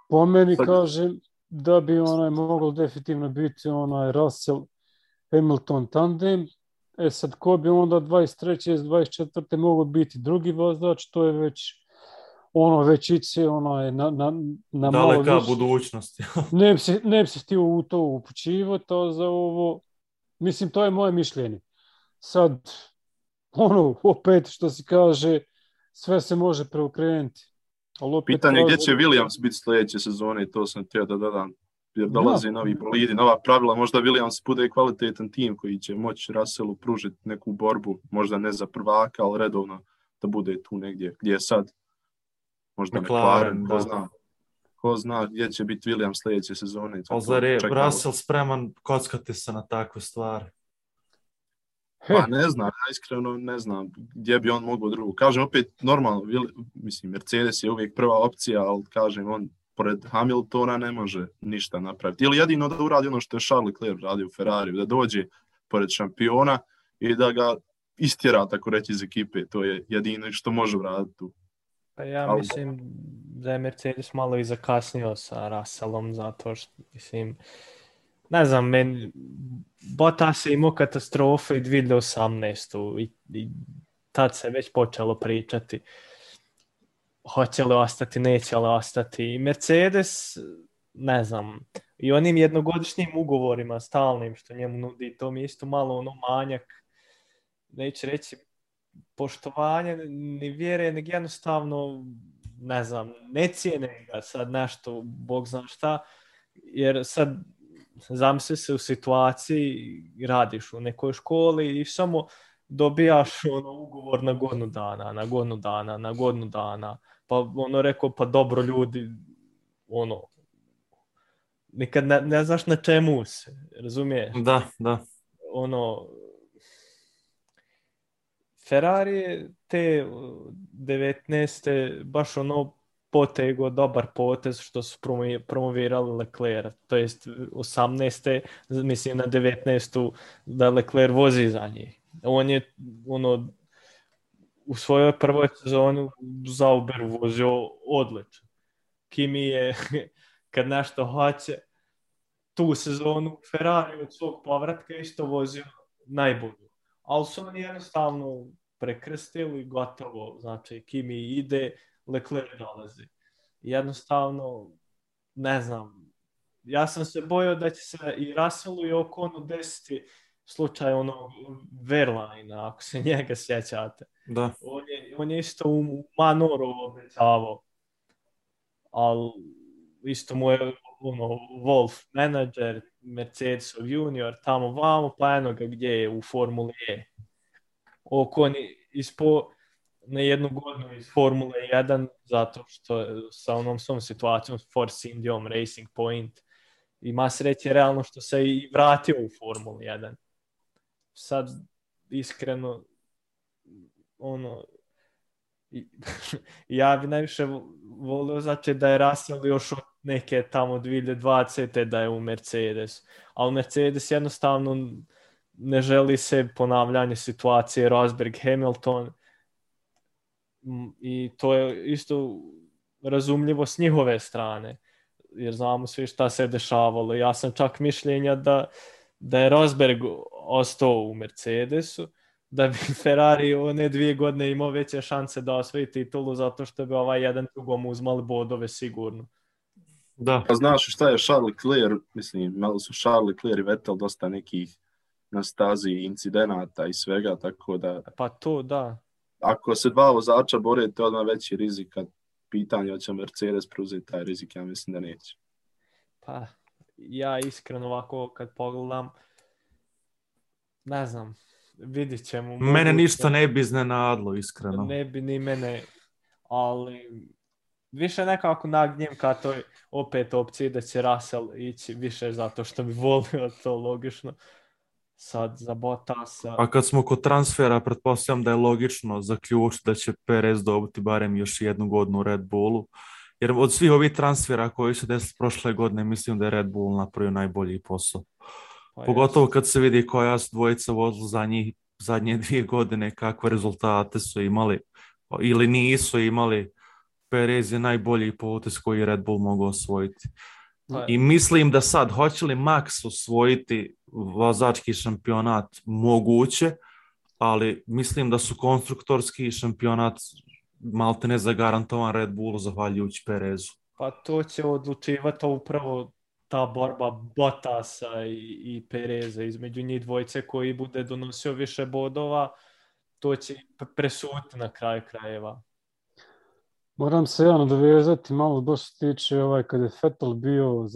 po meni kažem da bi moglo definitivno biti Russell Hamilton tandem. Sad, ko bi onda 23. 24. moglo biti drugi vozač, to je već iće na daleka budućnost. Ne bi se htio u to upućivati, a za ovo, mislim, to je moje mišljenje. Sad, opet što se kaže, sve se može preokrenuti. Pitanje gdje će Williams biti sljedeće sezone, to sam htio da dodam. Jer dolazi novi bolidi, nova pravila, možda Williams bude kvalitetan tim koji će moći Russellu pružiti neku borbu, možda ne za prvaka, ali redovno da bude tu negdje gdje je sad. Možda McLaren, ko zna gdje će biti Williams sljedeće sezone. Ali zar je Russell spreman kockati se na takve stvari? Pa ne znam, ja iskreno ne znam gdje bi on mogao drugo. Kažem opet, normalno, mislim, Mercedes je uvijek prva opcija, ali kažem, on pored Hamiltona ne može ništa napraviti. Ili jedino da uradi ono što je Charles Leclerc radio u Ferrariju, da dođe pored šampiona i da ga istjera, tako reći, iz ekipe. To je jedino što može uraditi tu. Pa ja mislim da je Mercedes malo i zakasnio sa Russellom, zato što, mislim, ne znam, Bottas je imao katastrofe i 2018. I tad se već počelo pričati hoće li ostati, neće li ostati. I Mercedes, ne znam, i onim jednogodišnjim ugovorima stalnim što njemu nudi, to mi je isto malo manjak, neću reći poštovanje, ni vjere, nego jednostavno, ne znam, ne cijene ga sad nešto, Bog zna šta, jer sad zamisli se u situaciji, radiš u nekoj školi i samo dobijaš ugovor na godinu dana, pa rekao, pa dobro ljudi, nikad ne znaš na čemu se, razumiješ? Da. Ferrari te 19. baš potego dobar potez što su promovirali Leclerc, to jest 18. mislim na 19. da Leclerc vozi za njih. On je u svojoj prvoj sezoni Zauberu vozio odlično. Kimi je kad nešto hoće tu sezonu Ferrari od svog povratka isto vozio najbolju. Ali su oni jednostavno prekrstili, gotovo, znači Kimi ide, Leclerc dolazi. Jednostavno, ne znam, ja sam se bojao da će se i Russellu i Oconu desiti slučaj Verlaina, ako se njega sjećate. Da. On je isto u Manoru obećavao, ali isto mu je Wolf menadžer, Mercedesov junior, tamo vamo, pa eno ga gdje je u Formuli E. Ocon je na jednu godinu iz Formule 1 zato što sa onom svom situacijom Force Indiom, Racing Point, ima sreće realno što se i vratio u Formulu 1. Sad iskreno Ja bi najviše volio znači da je Russell još od neke tamo 2020. da je u Mercedes. Ali Mercedes jednostavno ne želi se ponavljanje situacije Rosberg Hamilton i to je isto razumljivo s njihove strane. Jer znamo svi šta se dešavalo. Ja sam čak mišljenja da je Rosberg ostao u Mercedesu, da bi Ferrari one 2 godine imao veće šanse da osvoji titulu zato što bi jedan drugom uzmali bodove sigurno. Da. Znaš šta je Charles Leclerc, mislim, malo su Charles Leclerc i Vettel dosta nekih na stazi incidenata i svega, tako da... Pa to, da. Ako se 2 vozača bore, to je odmah veći rizik, kad pitanje hoće Mercedes preuzeti taj rizik, ja mislim da neće. Pa, ja iskreno ovako kad pogledam, ne znam, vidit ćemo. Mene ništa ne bi iznenadilo, iskreno. Ne bi ni mene, ali više nekako nagnjem ka toj opet opciji da će Russell ići više zato što bi volio to logično. Sad za Bottasa. A kad smo kod transfera, pretpostavljam da je logično zaključiti da će Perez dobiti barem još 1 godinu u Red Bullu. Jer od svih ovih transfera koji su desili prošle godine, mislim da je Red Bull napravio najbolji posao. Pa pogotovo kad se vidi koja su dvojica vozila zadnje 2 godine, kakve rezultate su imali ili nisu imali. Perez je najbolji potez koji je Red Bull mogao osvojiti. I mislim da sad, hoće li Max osvojiti vozački šampionat, moguće, ali mislim da su konstruktorski šampionat maltene zagarantovan Red Bullu zahvaljujući Perezu. Pa to će odlučivati upravo ta borba Bottasa i Pereza između njih dvojice koji bude donosio više bodova, to će presuditi na kraju krajeva. Moram se ja nadovezati malo baš se tiče kad je Vettel bio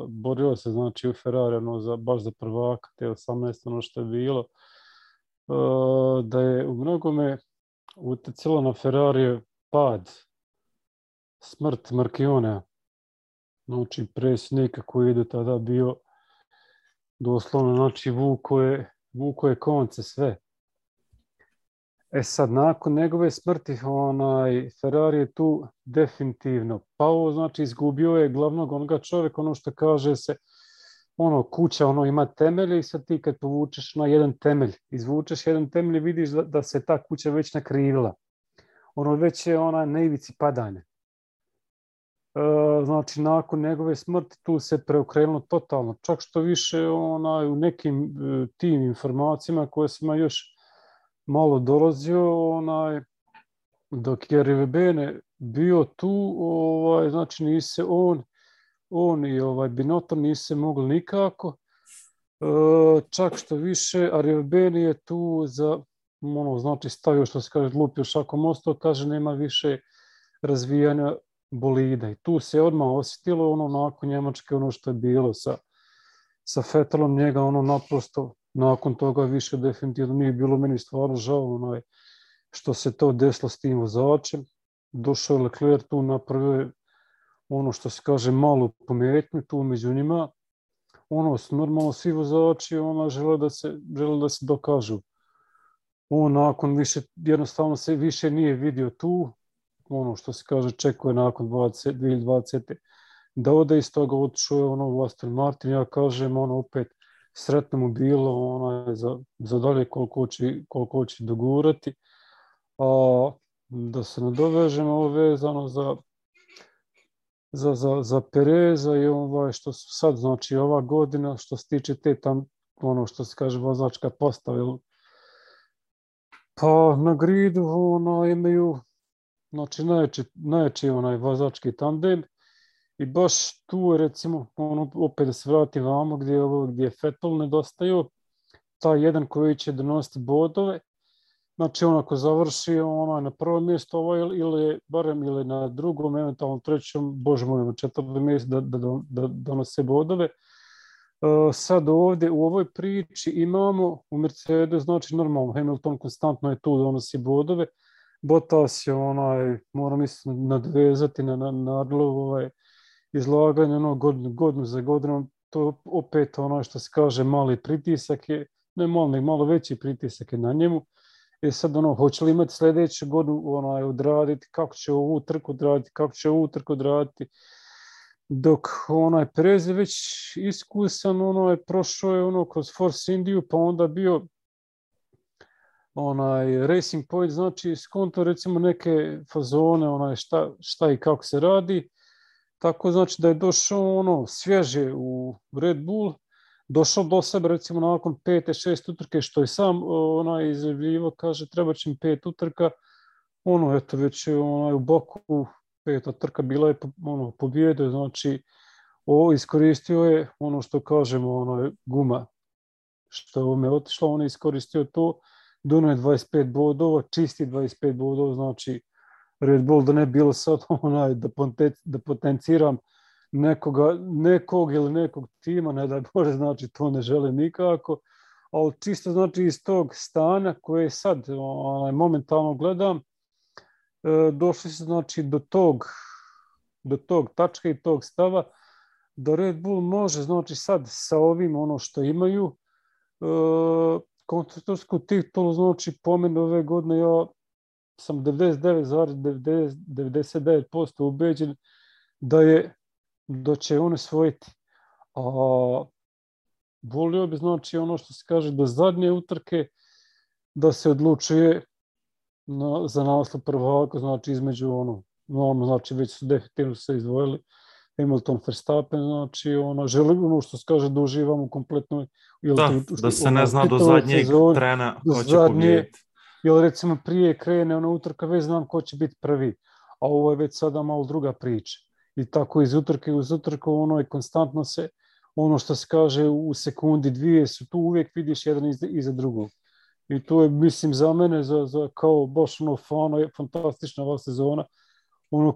borio se znači u Ferrari baš za prvaka te 18 što je bilo, da je u mnogome utjecalo na Ferrari pad, smrt Marchionea, znači predsjednika koji je tada bio doslovno, znači vuko je konce sve. Sad, nakon njegove smrti, Ferrari je tu definitivno pao, znači izgubio je glavnog onoga čovjeka, ono što kaže se, kuća ima temelje i sad ti kad povučeš na jedan temelj, izvučeš jedan temelj i vidiš da se ta kuća već nakrivila. Već je na ivici padanja. Znači, nakon njegove smrti tu se preokrenulo totalno, čak što više u nekim tim informacijama koje sam još malo dolazio, dok je Rivebene bio tu, znači nise on i Binotto nise mogli nikako, čak što više, a Rivebene je tu za, znači stavio što se kaže lupio šakom ostao, kaže nema više razvijanja bolida i tu se odmah osjetilo nakon Njemačke što je bilo sa Vettelom, njega naprosto nakon toga više definitivno nije bilo, meni stvarno žao što se to desilo s tim vozačem. Došao je Leclerc tu, napravio što se kaže malu pometnju tu među njima. Normalno svi vozači žele da se dokažu. Nakon više, jednostavno se više nije vidio tu, što se kaže čekuje nakon 2020. da ode iz toga, otišao je u Aston Martin, ja kažem opet sretno mu bilo za dalje koliko će dogurati. Da se nadovežemo ovo vezano za Pereza i što su sad, znači ova godina što se tiče te tam, što se kaže vozačka postava. Pa na gridu imaju znači najjači vozački tandem. I baš tu je recimo, opet da se vrati vamo gdje je Vettel nedostaju, taj jedan koji će donositi bodove, znači ako završi na prvom mjestu ili barem ili na drugom, eventualno trećom, bože moj, na 4. mjestu da donose bodove. Sad ovdje u ovoj priči imamo u Mercedes, znači normalno Hamilton konstantno je tu da donosi bodove, Bottas je moram mislim nadvezati na Arlovu izlaganje godinu za godinom, to opet što se kaže mali pritisak je, ne mali, malo veći pritisak je na njemu sad hoće li imati sljedeću godinu odraditi, kako će ovu trku odraditi, kako će ovu trku odraditi. Dok Perez je već iskusan, prošao je kroz Force Indiju, pa onda bio Racing Point, znači skonto recimo neke fazone, šta i kako se radi. Tako znači da je došao svježe u Red Bull, došao do sebe recimo nakon 5-6 utrke, što je sam izjavljivo, kaže treba će mi 5 utrka, eto već je u Baku 5. trka bila je pobjede, znači iskoristio je što kažemo guma što me otišla, on je iskoristio to, donio je 25 bodova, čisti 25 bodova, znači Red Bull da ne bilo sad da potenciram nekog ili nekog tima, ne daj Bože, znači to ne žele nikako, ali čisto znači iz tog stanja koje sad momentalno gledam, došli se znači do tog tačka i tog stava da Red Bull može znači sad sa ovim što imaju konstruktorsku titulu, znači po meni ove godine ja sam 99,99% ubeđen da će on osvojiti. A volio bi znači što se kaže do zadnje utrke da se odlučuje za naslov prvaka, znači između znači već su definitivno se izdvojili Hamilton, Verstappen, znači želim što se kaže da uživamo kompletno. Da se ne zna do zadnjeg trena ko će pobjediti. Jer recimo prije krene utrka, već znam ko će biti prvi, a ovo je već sada malo druga priča. I tako iz utrke uz utrku konstantno se što se kaže u sekundi dvije su tu, uvijek vidiš jedan iza drugog. I to je, mislim, za mene, za kao baš fantastična ova sezona.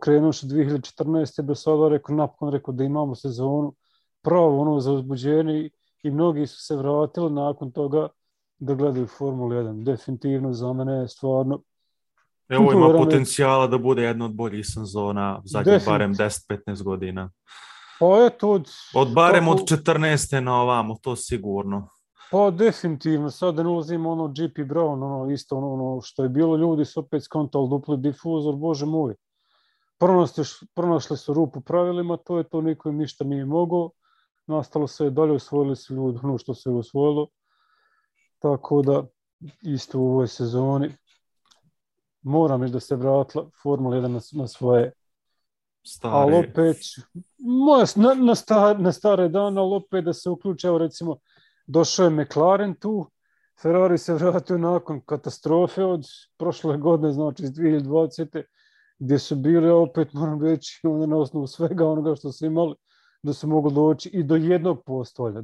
Krenuoš 2014. do sada, napokon da imamo sezonu pravo za uzbuđenje i mnogi su se vratili nakon toga da gledaju Formulu 1. Definitivno za mene je stvarno... Evo ima potencijala da bude jedna od boljih sezona zadnjih barem 10-15 godina. Pa eto od 14. na ovamo, to sigurno. Pa definitivno, sad da ne ulazim GP Brown, isto što je bilo, ljudi su opet skontali dupli difuzor, bože moj. Pronašli su rupu pravilima, to je to, niko im ništa nije mogao. Nastalo se dalje, osvojili su ljudi što se je osvojilo. Tako da, isto u ovoj sezoni, moram reći da se vratila Formula 1 na svoje. Ali opet, na stare dane, ali opet da se uključe, evo recimo, došao je McLaren tu, Ferrari se vratio nakon katastrofe od prošle godine, znači iz 2020. gdje su bili, opet moram reći, na osnovu svega onoga što su imali, da su mogli doći i do jednog postolja,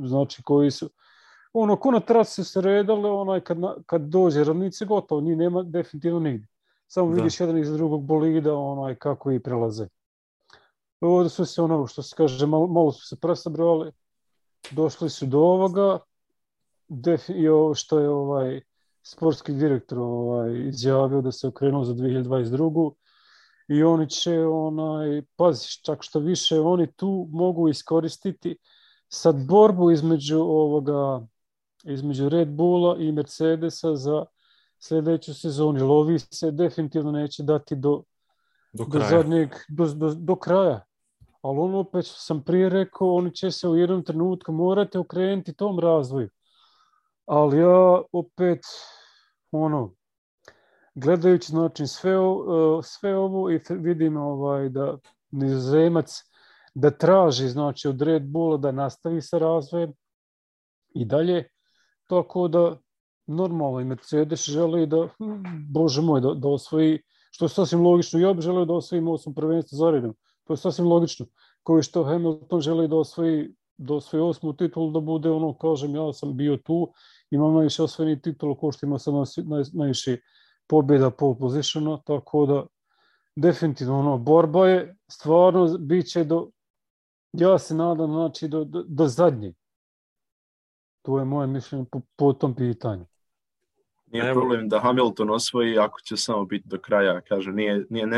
znači koji su, ko na trasi su se redali, kad dođe ravnice, gotovo, njih nema definitivno nigdje. Samo vidiš jedan iz drugog bolida, kako i prelaze. Ovdje su se, što se kaže, malo su se presabrali, došli su do ovoga, što je sportski direktor izjavio da se okrenuo za 2022. I oni će, pazi, čak što više, oni tu mogu iskoristiti sad borbu između Red Bulla i Mercedesa za sljedeću sezonu. Lovi se definitivno neće dati do kraja. Ali opet sam prije rekao, oni će se u jednom trenutku morati okrenuti tom razvoju. Ali ja opet, gledajući znači sve ovo i vidim da Nizozemac da traži znači od Red Bulla da nastavi sa razvojem i dalje, tako da normalno i Mercedes želi da, bože moj, da osvoji, što je sasvim logično, ja bih želeo da osvojim 8 prvenstva za redom, to je sasvim logično, koji što Hamilton želi da osvoji 8. titulu, da bude kažem, ja sam bio tu, imam najviše osvojenih titula, ko što ima sad najviše pobjeda pole positiona, tako da definitivno borba je, stvarno bit će ja se nadam, znači do zadnje. To je moje mišljenje po tom pitanju. Nije problem da Hamilton osvoji ako će samo biti do kraja. Kaže,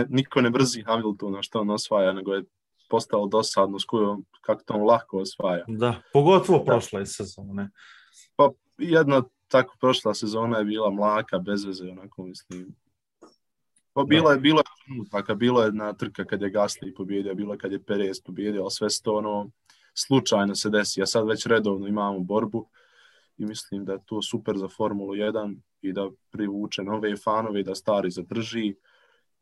niko ne brzi Hamiltona što on osvaja, nego je postalo dosadno s kojom kako to on lako osvaja. Da, pogotovo prošle sezone. Pa jedna tako prošla sezona je bila mlaka, bez veze, onako mislim. Bilo je trenutaka, bilo je na trka kad je Gasly pobjedio, bilo je kad je Perez pobjedio, ali sve to ono slučajno se desi, a sad već redovno imamo borbu i mislim da je to super za Formulu 1 i da privuče nove fanove i da stari zadrži.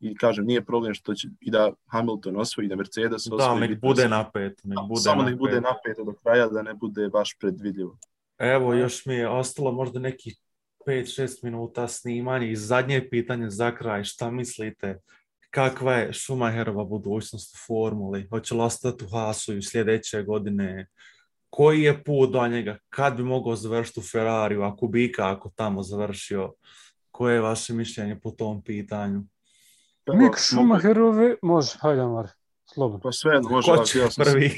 I kažem, nije problem što će i da Hamilton osvoji, da Mercedes osvoji. Da, nek bude napet. Samo nek bude napet do kraja, da ne bude baš predvidljivo. Evo, još mi je ostalo možda nekih 5-6 minuta snimanja i zadnje pitanje za kraj. Šta mislite? Kakva je Schumacherova budućnost u formuli? Hoće li ostati u Haasu i sljedeće godine? Koji je put do njega? Kad bi mogao završiti u Ferrariju? Ako bi ako tamo završio? Koje je vaše mišljenje po tom pitanju? Mik Schumacherove, može, hajde Mar, slobodno. Pa sve, može. Ko će prvi?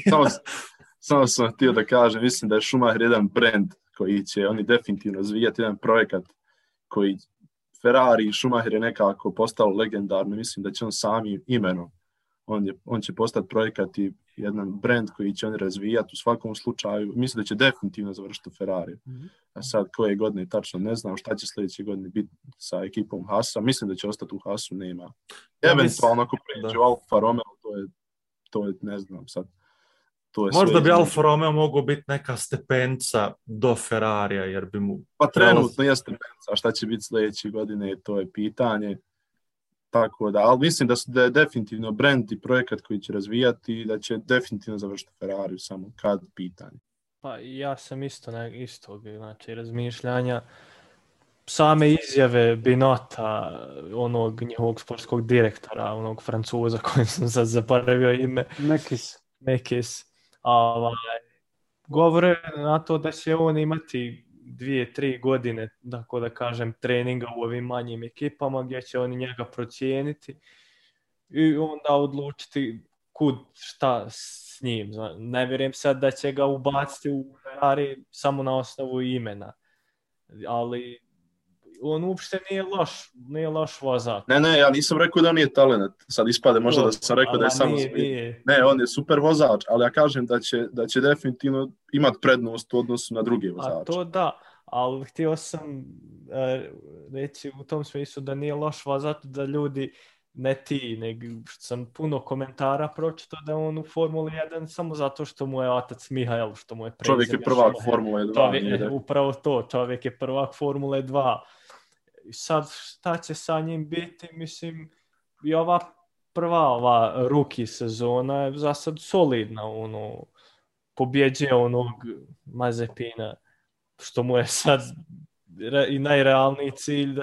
Samo sam htio da kažem, mislim da je Schumacher jedan brand koji će oni definitivno razvijati, jedan projekat koji Ferrari i Schumacher je nekako postalo legendarno, mislim da će on sami imenom, on će postati projekat i jedan brand koji će oni razvijati u svakom slučaju, mislim da će definitivno završiti u Ferrari. A sad koje godine tačno ne znam šta će sljedeće godine biti sa ekipom Haasa, mislim da će ostati u Haasu, nema. Eventualno ako pređe u Alfa Romeo, to je ne znam sad. Možda bi Alfa Romeo mogao biti neka stepenca do Ferrarija, jer bi mu... Pa trenutno je stepenca, a šta će biti sljedeće godine, to je pitanje. Tako da, ali mislim da je definitivno brand i projekat koji će razvijati i da će definitivno završiti Ferrariju, samo kad pitanje. Pa ja sam istog, znači razmišljanja. Same izjave Binota, onog njihovog sportskog direktora, onog Francuza kojim sam sad zaboravio ime. Mekis. Govore na to da će on imati 2-3 godine, tako da kažem, treninga u ovim manjim ekipama gdje će oni njega procijeniti i onda odlučiti šta s njim. Ne vjerujem sad da će ga ubaciti u Ferrari samo na osnovu imena, ali on uopšte nije loš vozač. Ne, ja nisam rekao da on nije talent. Sad ispade možda da sam rekao da je samo... Ne, on je super vozač, ali ja kažem da će definitivno imati prednost u odnosu na druge vozače. A to da, ali htio sam reći u tom smislu da nije loš vozač, da ljudi ne ti, nego sam puno komentara pročitao da on u Formuli 1 samo zato što mu je otac Mihael, što mu je prezime. Čovjek je prvak Formule 2. Upravo to, čovjek je prvak Formule 2. I sad šta će sa njim biti, mislim, i ova rookie sezona je za sad solidna, pobjeđuje onog Mazepina, što mu je sad i najrealniji cilj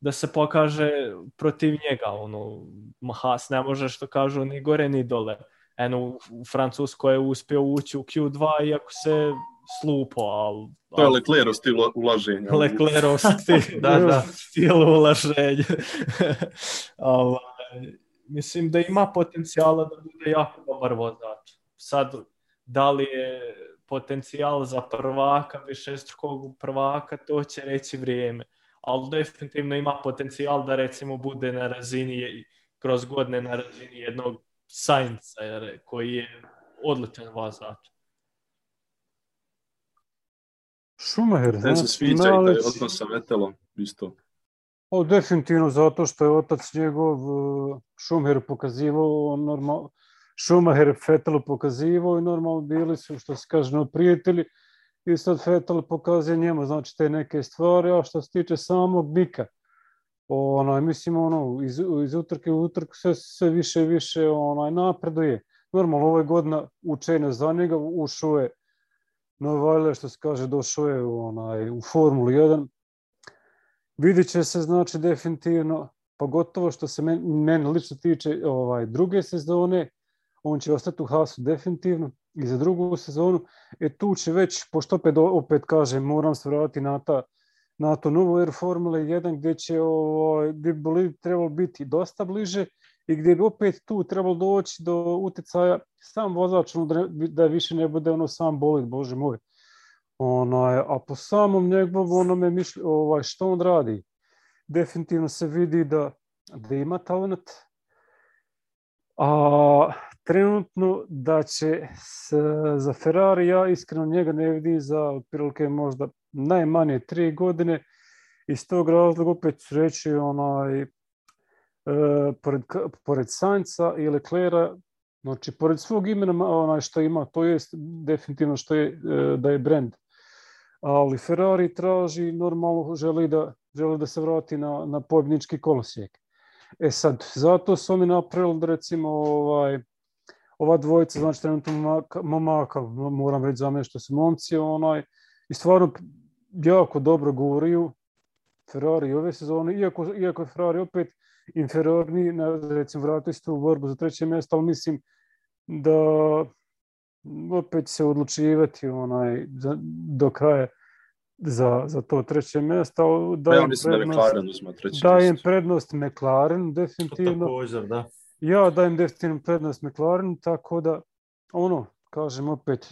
da se pokaže protiv njega, Haas ne može, što kažu, ni gore ni dole. U Francuskoj je uspio ući u Q2 iako se slupo, ali... To je Leclercov stil ulaženja. Leclercov stil ulaženja. Mislim da ima potencijala da bude jako dobar vozač. Sad, da li je potencijal za prvaka, višestrukog prvaka, to će reći vrijeme. Ali definitivno ima potencijal da recimo bude na razini, kroz godine na razini jednog Sainza, koji je odličan vozač. Schumacher, ne se sviđa i taj odnos sa Vettelom, isto. Definitivno zato što je otac njegov Schumacher pokazivao, Schumacher Vettelu pokazivao i normalno bili su, što se kaže, prijatelji. I sad Vettel pokazuje njemu, znači, te neke stvari, a što se tiče samog Mika, mislim, iz utrke u utrku sve više i više napreduje. Normalno, ove godine učenje za njega, ušao je Novajle, što se kaže, došao je u Formulu 1. Vidjet će se, znači, definitivno, pogotovo što se meni lično tiče druge sezone, on će ostati u Haasu definitivno i za drugu sezonu. Tu će već, pošto opet kažem, moram se vratiti na to novo Air Formula 1 gdje bi trebalo biti dosta bliže i gdje bi opet tu trebalo doći do utjecaja sam vozač, da više ne bude sam bolid, bože moj. A po samom njegovom što on radi, definitivno se vidi da ima talent, A trenutno da će za Ferrari, ja iskreno njega ne vidim za otprilike možda najmanje 3 godine. Iz tog razloga opet ću reći pored Sainza i Leclerca, znači pored svog imena što ima, to je definitivno što je da je brand. Ali Ferrari traži, normalno želi da se vrati na pobjednički kolosijek. Sad, zato su oni napravili da recimo ova dvojica, znači trenutno momaka, moram reći za mene što su momci, i stvarno jako dobro govoriju Ferrari ove sezone, iako je Ferrari opet inferiorni, recimo vratili se u borbu za 3. mjesto, ali mislim da opet se odlučivati do kraja za to 3. mjesto. Ja mislim da McLaren uzma 3. mjesto. Dajem prednost McLaren, definitivno. Također, da. Ja dajem definitivno prednost McLaren, tako da, kažem opet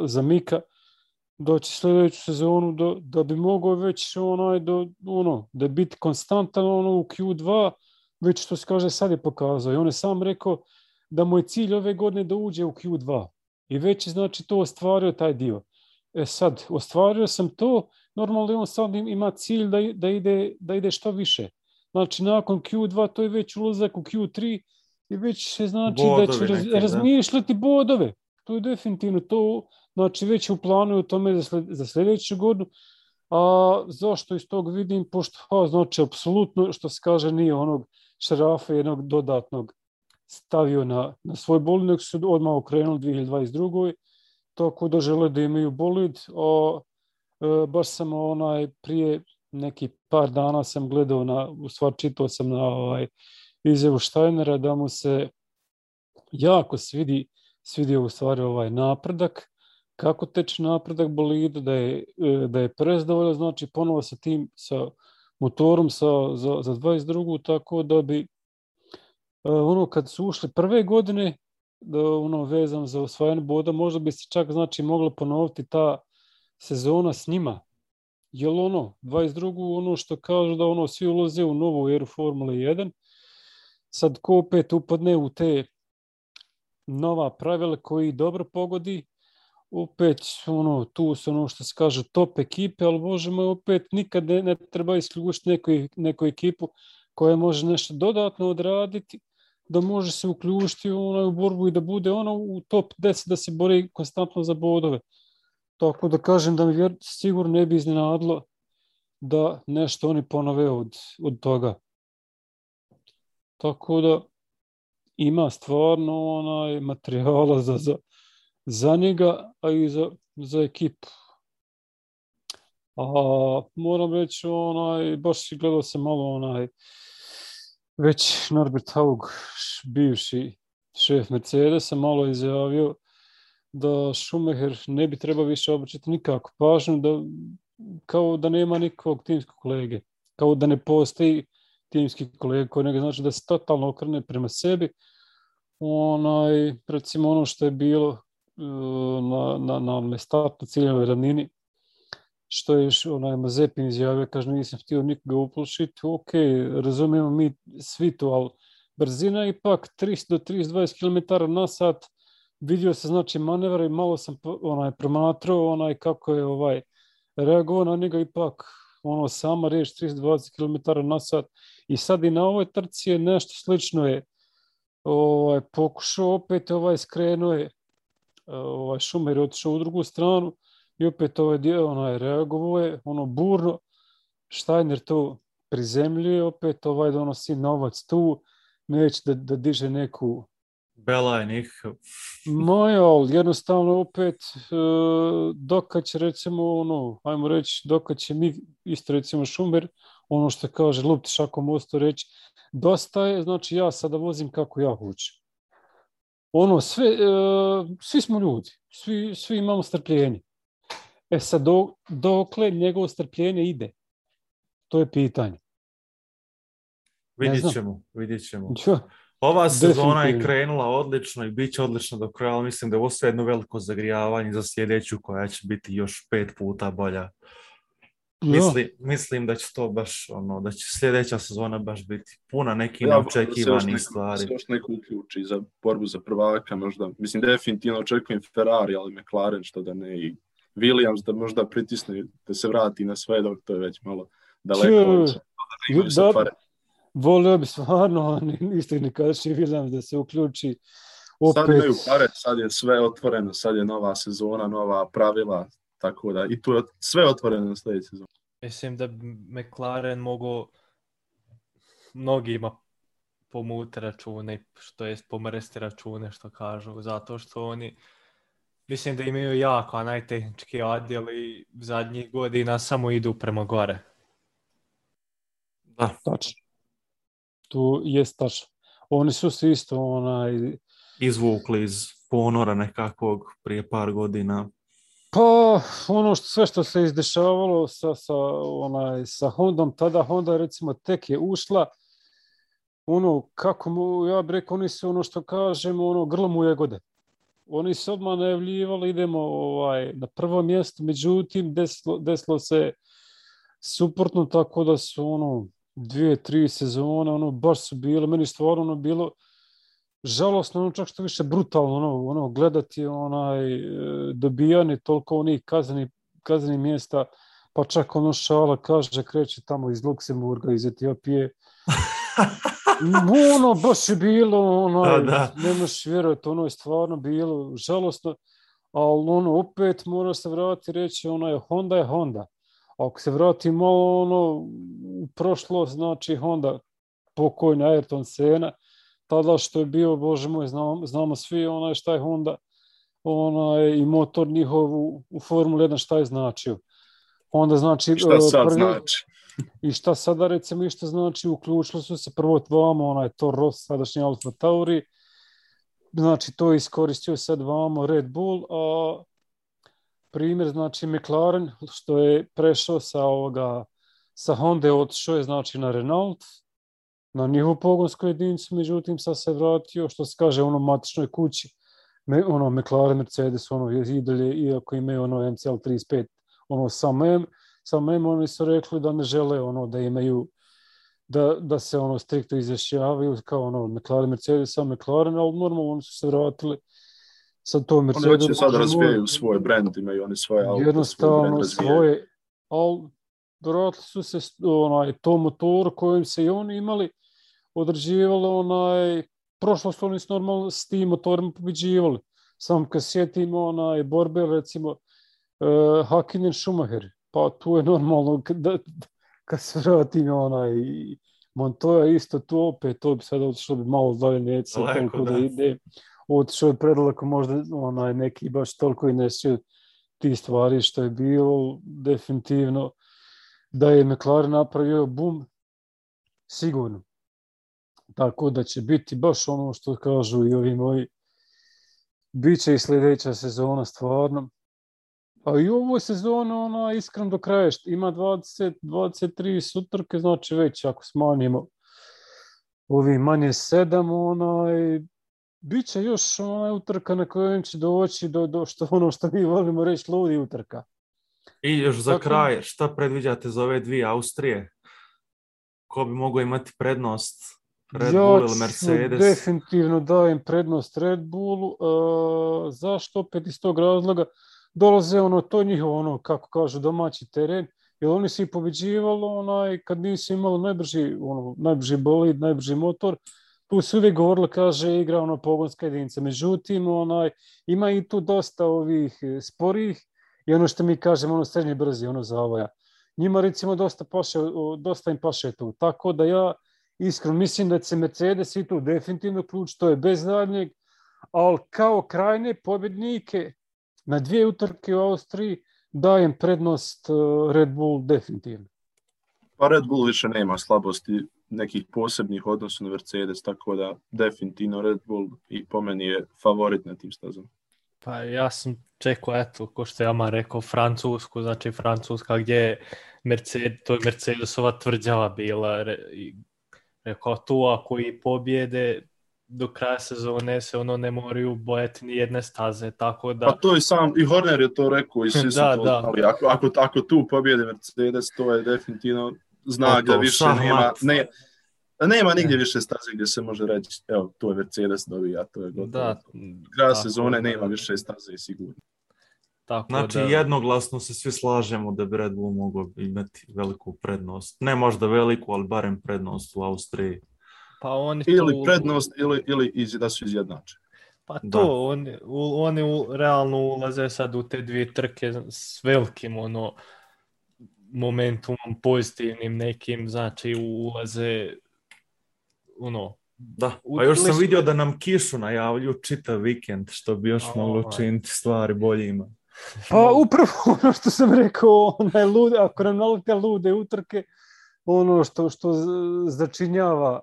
za Mika, doći sljedeću sezonu da bi mogao već da biti konstantan u Q2, već što se kaže sad je pokazao. I on je sam rekao da mu je cilj ove godine da uđe u Q2. I već je znači to ostvario taj dio. Sad, ostvario sam to, normalno on sad ima cilj da ide što više. Znači, nakon Q2 to je već ulazak u Q3 i već se znači bodove da će razmišljati bodove. To je definitivno to, znači već u planu u tome za sljedeću godinu. A zašto iz tog vidim? Pošto, znači, apsolutno, što se kaže, nije onog šarafa jednog dodatnog stavio na svoj bolid, nego su odmah okrenuli 2022. Tako da žele da imaju bolid. Baš sam prije neki par dana sam gledao, u stvari čitao sam na izjavu Steinera da mu se jako svidio u stvari napredak, kako teče napredak bolida, da je prezadovoljan, znači ponovo sa tim, sa motorom za 22. tako da bi kad su ušli prve godine, vezano za osvajanje boda, možda bi se čak znači mogla ponoviti ta sezona s njima. Jer 22. što kažu da svi ulaze u novu eru Formule 1, sad ko opet upadne u te nova pravila koji dobro pogodi, opet tu su što se kaže top ekipe, ali Bože moj, opet nikad ne treba isključiti neku ekipu koja može nešto dodatno odraditi, da može se uključiti u borbu i da bude u top 10, da se bori konstantno za bodove. Tako da kažem da mi sigurno ne bi iznenadilo da nešto oni ponove od toga. Tako da ima stvarno materijala za njega, a i za ekipu. Moram reći, baš gledao sam malo već Norbert Haug, bivši šef Mercedesa, malo izjavio da Schumacher ne bi trebao više obraćati nikako pažnju, kao da nema nikakvog timskog kolege, kao da ne postoji timski kolega koji ne znači da se totalno okrene prema sebi. Recimo što je bilo na startno ciljevoj ravnini, što je Mazepin izjavio, kaže nisam htio nikoga uplošiti, ok, razumijemo mi svi to, ali brzina ipak 30 do 32 km na sat, vidio se znači manevar i malo sam promatrao kako je reagovao na njega, ipak sama riječ 30-20 km na sat i sad i na ovoj trci je nešto slično je pokušao, opet skrenuo je Schumacher je otišao u drugu stranu i opet reagovao je burno, Steiner to prizemljuje, opet donosi novac tu, neće da diže neku Belaj nikakav. Ali jednostavno opet dokad će recimo ajmo reći, dokad će mi isto recimo Schumacher, što kaže lupti šakom mostu reći, dosta je, znači ja sada vozim kako ja hoću. Svi smo ljudi, svi imamo strpljenje. Sad dokle njegovo strpljenje ide? To je pitanje. Vidjet ćemo. Ova sezona je krenula odlično i bit će odlično do kraja, ali mislim da je ovo sve jedno veliko zagrijavanje za sljedeću koja će biti još 5 puta bolja. Mislim da će to baš, da će sljedeća sezona baš biti puna nekih Ja, neočekivanih stvari. se još neko uključi za borbu za prvaka možda. Mislim, definitivno očekujem Ferrari, ali McLaren što da ne, i Williams da možda pritisne, da se vrati na sve, dok to je već malo daleko. Volio bi stvarno, isto ne kažeš Williams da se uključi opet. Sad imaju pare, sad je sve otvoreno, sad je nova sezona, nova pravila, tako da i tu je sve otvoreno na sljedeću sezonu. Mislim da McLaren mogu mnogima pomuti račune, što jest pomrsti račune, što kažu, zato što oni, mislim da imaju jako najtehnički odjel i zadnjih godina samo idu prema gore. Da. Tačno. Tu jest tačno. Oni su se isto izvukli iz ponora nekakvog prije par godina. Pa, sve što se izdešavalo sa Hondom, tada Honda recimo tek je ušla, ja bih rekao, oni su što kažemo, grlom u jagode. Oni su odmah najavljivali, idemo na prvo mjesto, međutim, desilo se suprotno, tako da su 2-3 sezone, baš su bile, meni stvarno bilo žalosno, čak što više brutalno, gledati dobijanje toliko onih kaznenih mjesta, pa čak šala kaže, kreće tamo iz Luksemburga, iz Etiopije. Baš je bilo, ne možeš vjerovati, je stvarno bilo žalosno, ali opet mora se vratiti reći, Honda je Honda. Ako se vrati malo u prošlost, znači Honda, pokojni Ayrton Senna, tada što je bio, bože moj, znamo svi šta je Honda, i motor njihov u Formuli 1 šta je značio. Onda znači... Šta sad znači? I šta sada recimo išto znači, uključili su se prvo vamo, Toro Rosso, sadašnji Alfa Tauri, znači to iskoristio sad vamo Red Bull, a primjer znači McLaren, što je prešao sa Honda, otišao je znači na Renault, na njihovu pogonsku jedinicu, međutim sad se vratio, što se kaže, matičnoj kući, McLaren, Mercedes, i dalje, iako imaju MCL35, sam oni su rekli da ne žele da imaju, da se striktno izjašnjavaju kao McLaren, Mercedes, McLaren, ali normalno oni su se vratili sad to Mercedes. Oni hoće sad razvijaju svoj brand, imaju oni svoje auto, jednostavno svoje, ali vratili su se to motoru kojim se i oni imali, određivalo prošlo su oni normalno s tim motorima pobeđivali. Samo kad sjetimo borbe, recimo Hakkinen Schumacher, pa tu je normalno kad se vratim Montoya isto tu opet, to bi sad otišlo malo dalje, neće se toliko da ide. Otišao je predaleko, možda neki baš toliko i nesio ti stvari što je bilo, definitivno da je McLaren napravio bum, sigurno. Tako da će biti baš što kažu i ovi moji, bit će i sljedeća sezona stvarno. A i u ovoj sezoni iskreno do kraja ima 23 utrke, znači već ako smanjimo ovi manje 7, bit će još utrka na kojem će doći do što mi volimo reći ludi utrka. I još za kraj, šta predviđate za ove dvije Austrije? Ko bi mogao imati prednost? Red Bull ili Mercedes? Ja definitivno dajem prednost Red Bullu. Zašto? Opet iz tog razloga dolaze to njihovo, kako kažu, domaći teren, jer oni su i pobeđivali kad nisu imali najbrži bolid, najbrži motor. Tu se uvijek govorilo, kaže, igra pogonska jedinica. Međutim, ima i tu dosta ovih sporih i što mi kažemo, srednje brzi, zavoja. Njima recimo dosta im paše tu. Tako da ja iskreno mislim da će Mercedes i tu definitivno ključ, to je bez daljnjeg, ali kao krajne pobjednike na dvije utrke u Austriji dajem prednost Red Bull definitivno. Pa Red Bull više nema slabosti nekih posebnih odnosa na Mercedes, tako da definitivno Red Bull i po meni je favorit na tim stazama. Pa ja sam čekao, ko što je Ama rekao, Francusku, znači Francuska gdje je Mercedesova tvrđava bila. Rekao tu ako i pobjede, do kraja sezone se ne moraju bojati ni jedne staze, tako da... Pa to i Horner je to rekao i svi su to znali. Ako tu pobjede Mercedes, to je definitivno znak da više nema nigdje više staze gdje se može reći, evo, to je Mercedes dobija, to je gotovo. Da, kraja sezone nema više staze sigurno. Tako znači, jednoglasno se svi slažemo da bi Red Bull mogao imati veliku prednost. Ne možda veliku, ali barem prednost u Austriji. Pa oni ili prednost, ili da su izjednačeni. Pa to, oni realno ulaze sad u te dvije trke s velikim momentumom, pozitivnim nekim, znači ulaze Da, a još sam vidio da nam kišu najavljuju čitav vikend, što bi još moglo činiti stvari boljima. Pa upravo ono što sam rekao, ako nam nalete lude utrke, ono što začinjava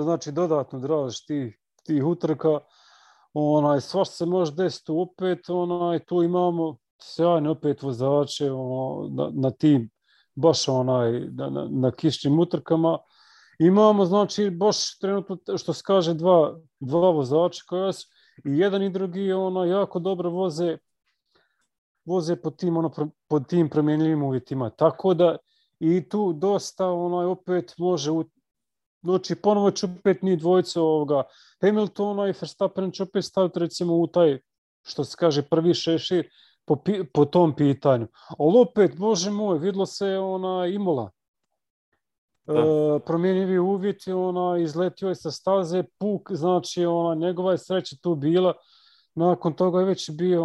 znači dodatno draž tih utrka, svašta se može desiti opet, tu imamo sjajne opet vozače na tim, baš na kišnim utrkama. Imamo, znači, baš trenutno, što se kaže, dva vozača koja su i jedan i drugi jako dobro voze pod tim promjenljivim uvjetima. Tako da i tu dosta opet može, znači ponovo će opet ni dvojice Hamiltona i Verstappen će opet staviti recimo u taj, što se kaže, prvi šešir po tom pitanju. Ali opet, bože moj, vidlo se Imola. Promjenjivi uvjeti, izletio je sa staze, puk, znači njegova je sreća tu bila. Nakon toga je već bio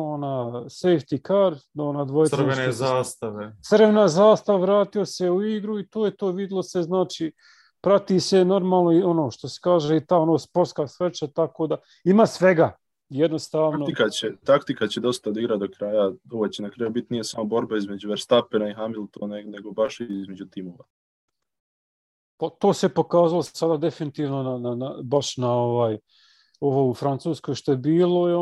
safety car, dvojica. Crvena zastava, vratio se u igru i to je to, vidlo se, znači prati se normalno što se kaže i ta sportska sreća, tako da ima svega. Jednostavno. Taktika će dosta odigrati do kraja. Ovo će na kraju biti nije samo borba između Verstappena i Hamiltona, nego baš i između timova. To se pokazalo sada definitivno baš na ovo u Francuskoj što je bilo i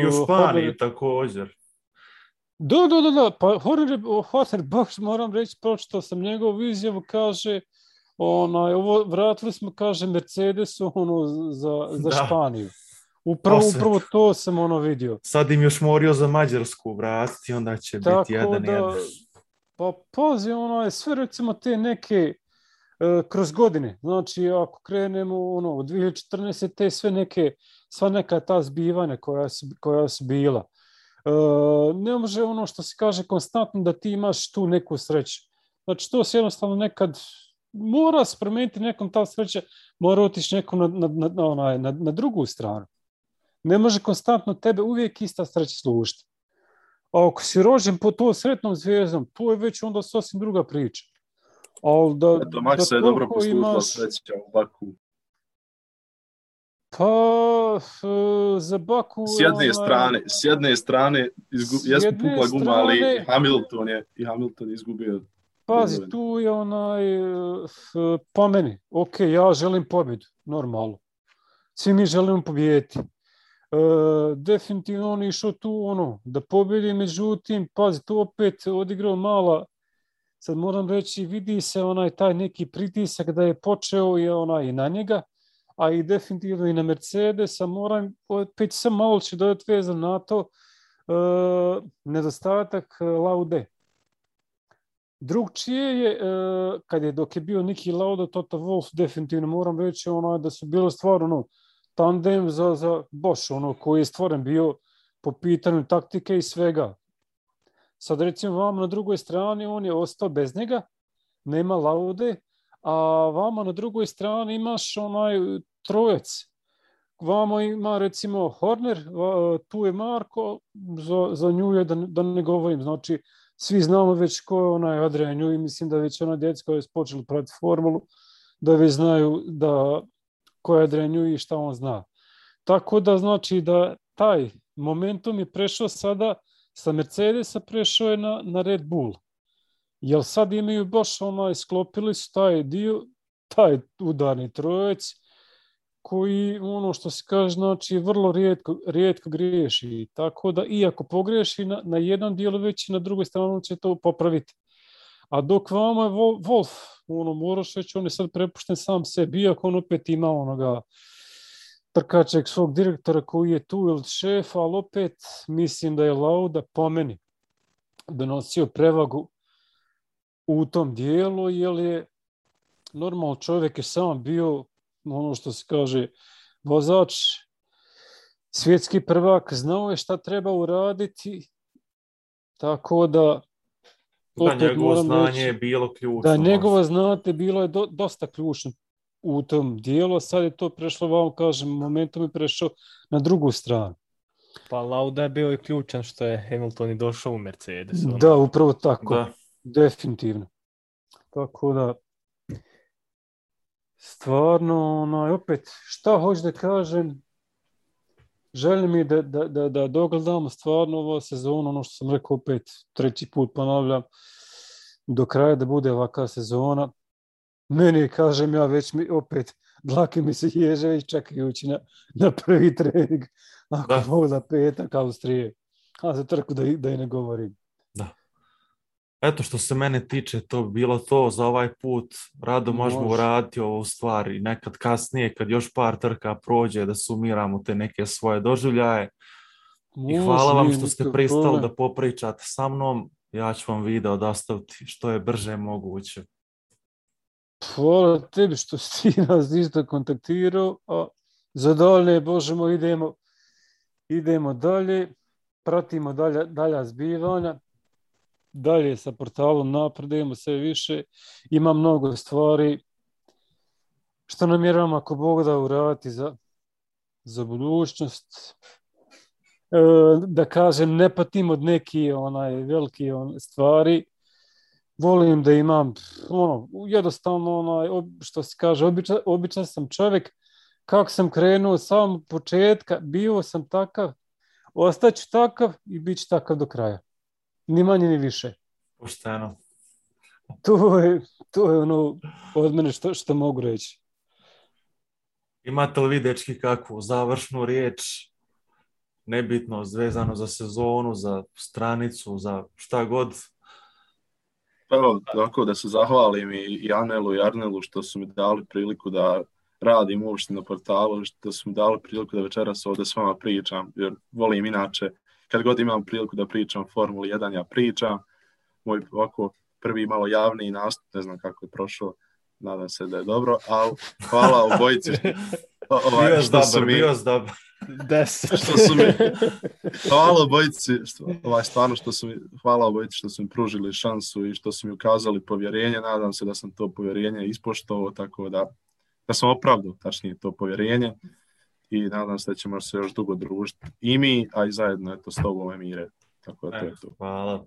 u Španiji također. Da, pa Horner baš moram reći, pročitao sam njegovu izjavu, kaže ovo vratili smo, kaže, Mercedesu za Španiju. Upravo to sam vidio. Sad im još morio za Mađarsku vratiti, onda će biti 1-1. Pa pazi, sve recimo te neke kroz godine, znači ako krenemo od 2014. te sva neka ta zbivanja koja su bila. Ne može što se kaže konstantno da ti imaš tu neku sreću. Znači to se jednostavno nekad mora se promijeniti, nekom ta sreća mora otići nekom na drugu stranu. Ne može konstantno tebe uvijek ista sreća služiti. A ako si rođen po to sretnom zvijezdom, to je već onda sasvim druga priča. Eto, Maxa je dobro poslužila sreća u Baku. Pa, za Baku... S jedne strane jesmo pukla guma, ali Hamilton je izgubio. Pazi, tu je po meni, ok, ja želim pobjedu, normalno. Svi mi želimo pobijediti. Definitivno on je išao tu da pobjedi, međutim, pazi, tu opet odigrao mala. Sad moram reći, vidi se taj neki pritisak da je počeo i na njega, a i definitivno i na Mercedesa. Moram opet sam malo ću dodati vezan na to, nedostatak Laude. Drugčije je, dok je bio Niki Lauda, Toto Wolff, definitivno moram reći da su bilo stvarno tandem za Bosch, koji je stvoren bio po pitanju taktike i svega. Sad recimo vama na drugoj strani on je ostao bez njega, nema Laude, a vama na drugoj strani imaš trojec. Vama ima recimo Horner, tu je Marko, za nju je da ne govorim, znači svi znamo već ko je Adrian Newey, mislim da već djeca koji su počeli pratiti formulu, da već znaju ko je Adrian Newey i šta on zna. Tako da znači da taj momentum je prešao sada sa Mercedesa, prešao je na Red Bull. Jer sad imaju baš sklopili su taj dio, taj udarni trojec, koji što se kaže, znači vrlo rijetko griješi. Tako da iako pogriješi na jednom dijelu, već i na drugoj strani će to popraviti. A dok vama je Wolf, ono, moraš reći, on je sad prepušten sam sebi, iako on opet ima onoga trkačeg svog direktora koji je tu ili šef, ali opet mislim da je Lauda po meni donosio prevagu u tom dijelu, jer je normalno čovjek je sam bio, ono što se kaže, vozač, svjetski prvak, znao je šta treba uraditi, tako da Da, njegovo znanje je bilo ključno. Da, njegovo znanje bilo je dosta ključno u tom dijelu, a sad je to prešlo, vam kažem, momentom je prešao na drugu stranu. Pa Lauda je bio i ključan što je Hamilton i došao u Mercedes. Ono. Da, upravo tako. Da. Definitivno. Tako da, stvarno, opet, šta hoću da kažem, želim mi da dogledamo stvarno ovu sezonu, ono što sam rekao opet, 3. put ponavljam, do kraja da bude ovakva sezona. Meni, kažem ja, već mi opet dlake mi se ježe već čekajući na prvi trening. Ako mogu za petak Austrije. A za trku da i ne govorim. Da. Eto, što se mene tiče, to bi bilo to za ovaj put. Rado možemo uraditi ovu stvar i nekad kasnije, kad još par trka prođe, da sumiramo te neke svoje doživljaje. I hvala vam što ste pristali da popričate sa mnom. Ja ću vam video dostaviti što je brže moguće. Hvala tebi što si nas isto kontaktirao. A za dalje, Bože moj, idemo dalje. Pratimo dalja zbivanja. Dalje sa portalom napredujemo sve više. Ima mnogo stvari što namjeravamo ako Bog da uraditi za budućnost. Da kažem, ne patim od neki veliki stvari. Volim da imam jednostavno što se kaže, običan sam čovjek. Kako sam krenuo od samog početka, bio sam takav, ostaću takav i bit ću takav do kraja. Ni manje ni više. Pošteno. To je ono od mene što mogu reći. Imate li vi, dečki, kakvu završnu riječ? Nebitno, vezano za sezonu, za stranicu, za šta god? Evo, tako da se zahvalim i Anelu i Arnelu što su mi dali priliku da radim uopšte na portalu, što su mi dali priliku da večeras ovdje s vama pričam, jer volim inače, kad god imam priliku da pričam o Formuli 1, ja pričam. Moj ovako prvi malo javni nastup, ne znam kako je prošao, nadam se da je dobro, ali hvala obojici bio dobar. 10. Što su mi, hvala obojici, stvarno hvala obojici što su mi pružili šansu i što su mi ukazali povjerenje. Nadam se da sam to povjerenje ispoštovao, tako da sam opravdao, tačnije, to povjerenje i nadam se da ćemo se još dugo družiti i mi, a i zajedno s tobom, Emire. Tako da to je to. Hvala.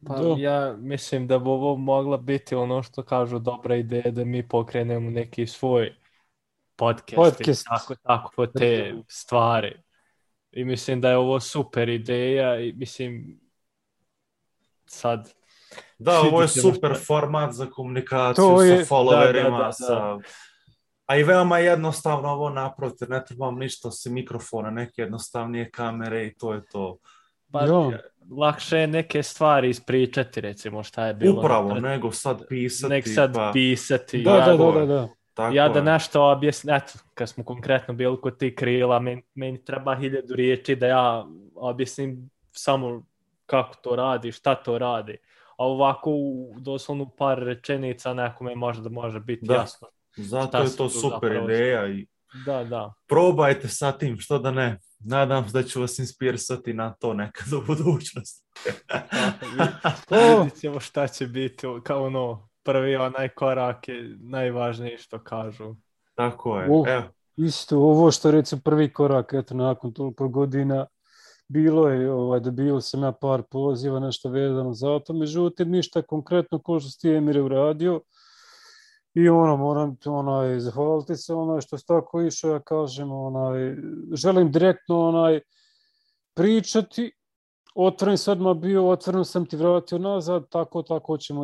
Pa ja mislim da bi ovo mogla biti ono što kažu dobra ideja da mi pokrenemo neki svoj podcast. Tako te stvari. I mislim da je ovo super ideja i mislim sad... Da, ovo je super format za komunikaciju sa followerima, a i veoma jednostavno ovo napraviti, ne trebam ništa osim mikrofona, neke jednostavnije kamere i to je to. Pa lakše je neke stvari ispričati, recimo šta je bilo. Upravo, nego sad pisati. Da. Ja da nešto objasnim, eto, kad smo konkretno bili kod ti krila, meni treba 1000 riječi da ja objasnim samo kako to radi, šta to radi. A ovako doslovno par rečenica nekome možda može biti jasno. Zato je to super ideja i da. Probajte sa tim, što da ne. Nadam se da ću vas inspirisati na to nekad u budućnosti. Vidit ćemo šta će biti, kao prvi onaj korak je najvažniji što kažu. Tako je. Isto ovo što recimo prvi korak, eto nakon toliko godina bilo je, dobio sam ja par poziva, nešto vezano za to, međutim ništa konkretno ko što ste Emire uradio i moram zahvaliti se što ste tako išao, ja kažem, želim direktno pričati. Otvoren sam odmah bio, otvoren sam ti vratio nazad, tako ćemo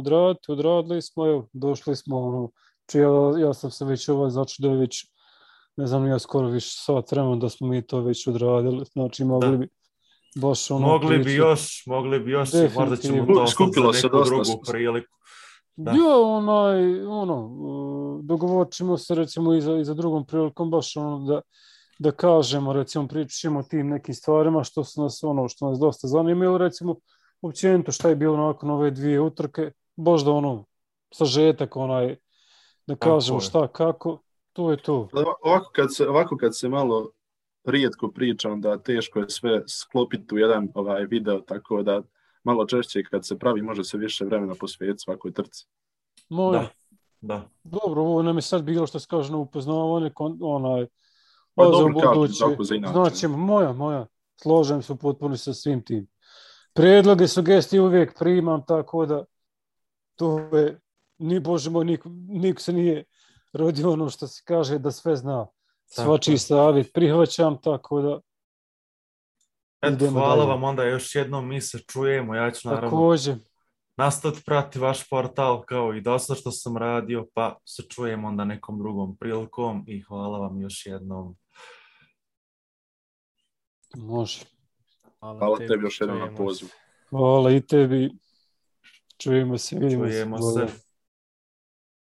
odradili smo, došli smo, ja sam se već začudio već, ne znam, ja skoro više sat vremena da smo mi to već odradili, znači mogli bi baš mogli bi još, možda ćemo to za neku drugu priliku. Da. Ja, dogovorit ćemo se recimo i za drugom prilikom, baš da kažemo, recimo pričamo o tim nekim stvarima što nas dosta zanima, ili recimo općenito šta je bilo nakon ove 2 utrke, baš da sažetak da kažemo šta, kako, to je to. Ovako kad se malo rijetko priča, onda teško je sve sklopiti u jedan video, tako da malo češće kad se pravi može se više vremena posvetiti svakoj trci. Da. Dobro, ovo nam je sad bilo što se kaže na upoznavanje, Pa dobro kažem, tako za inače. Znači, moja, složem se potpuno sa svim tim. Predloge, sugestije uvijek primam, tako da to je, Bože moj, niko se nije rodio što se kaže da sve zna. Svačiji savjet prihvaćam, tako da hvala dalje. vam onda još jednom, mi se čujemo, ja ću naravno Također. nastaviti prati vaš portal kao i dosta što sam radio, pa se čujemo onda nekom drugom prilikom i hvala vam još jednom. Može. Hvala tebi još jednom na pozivu. Hvala i tebi. Čujemo se. Čujemo se.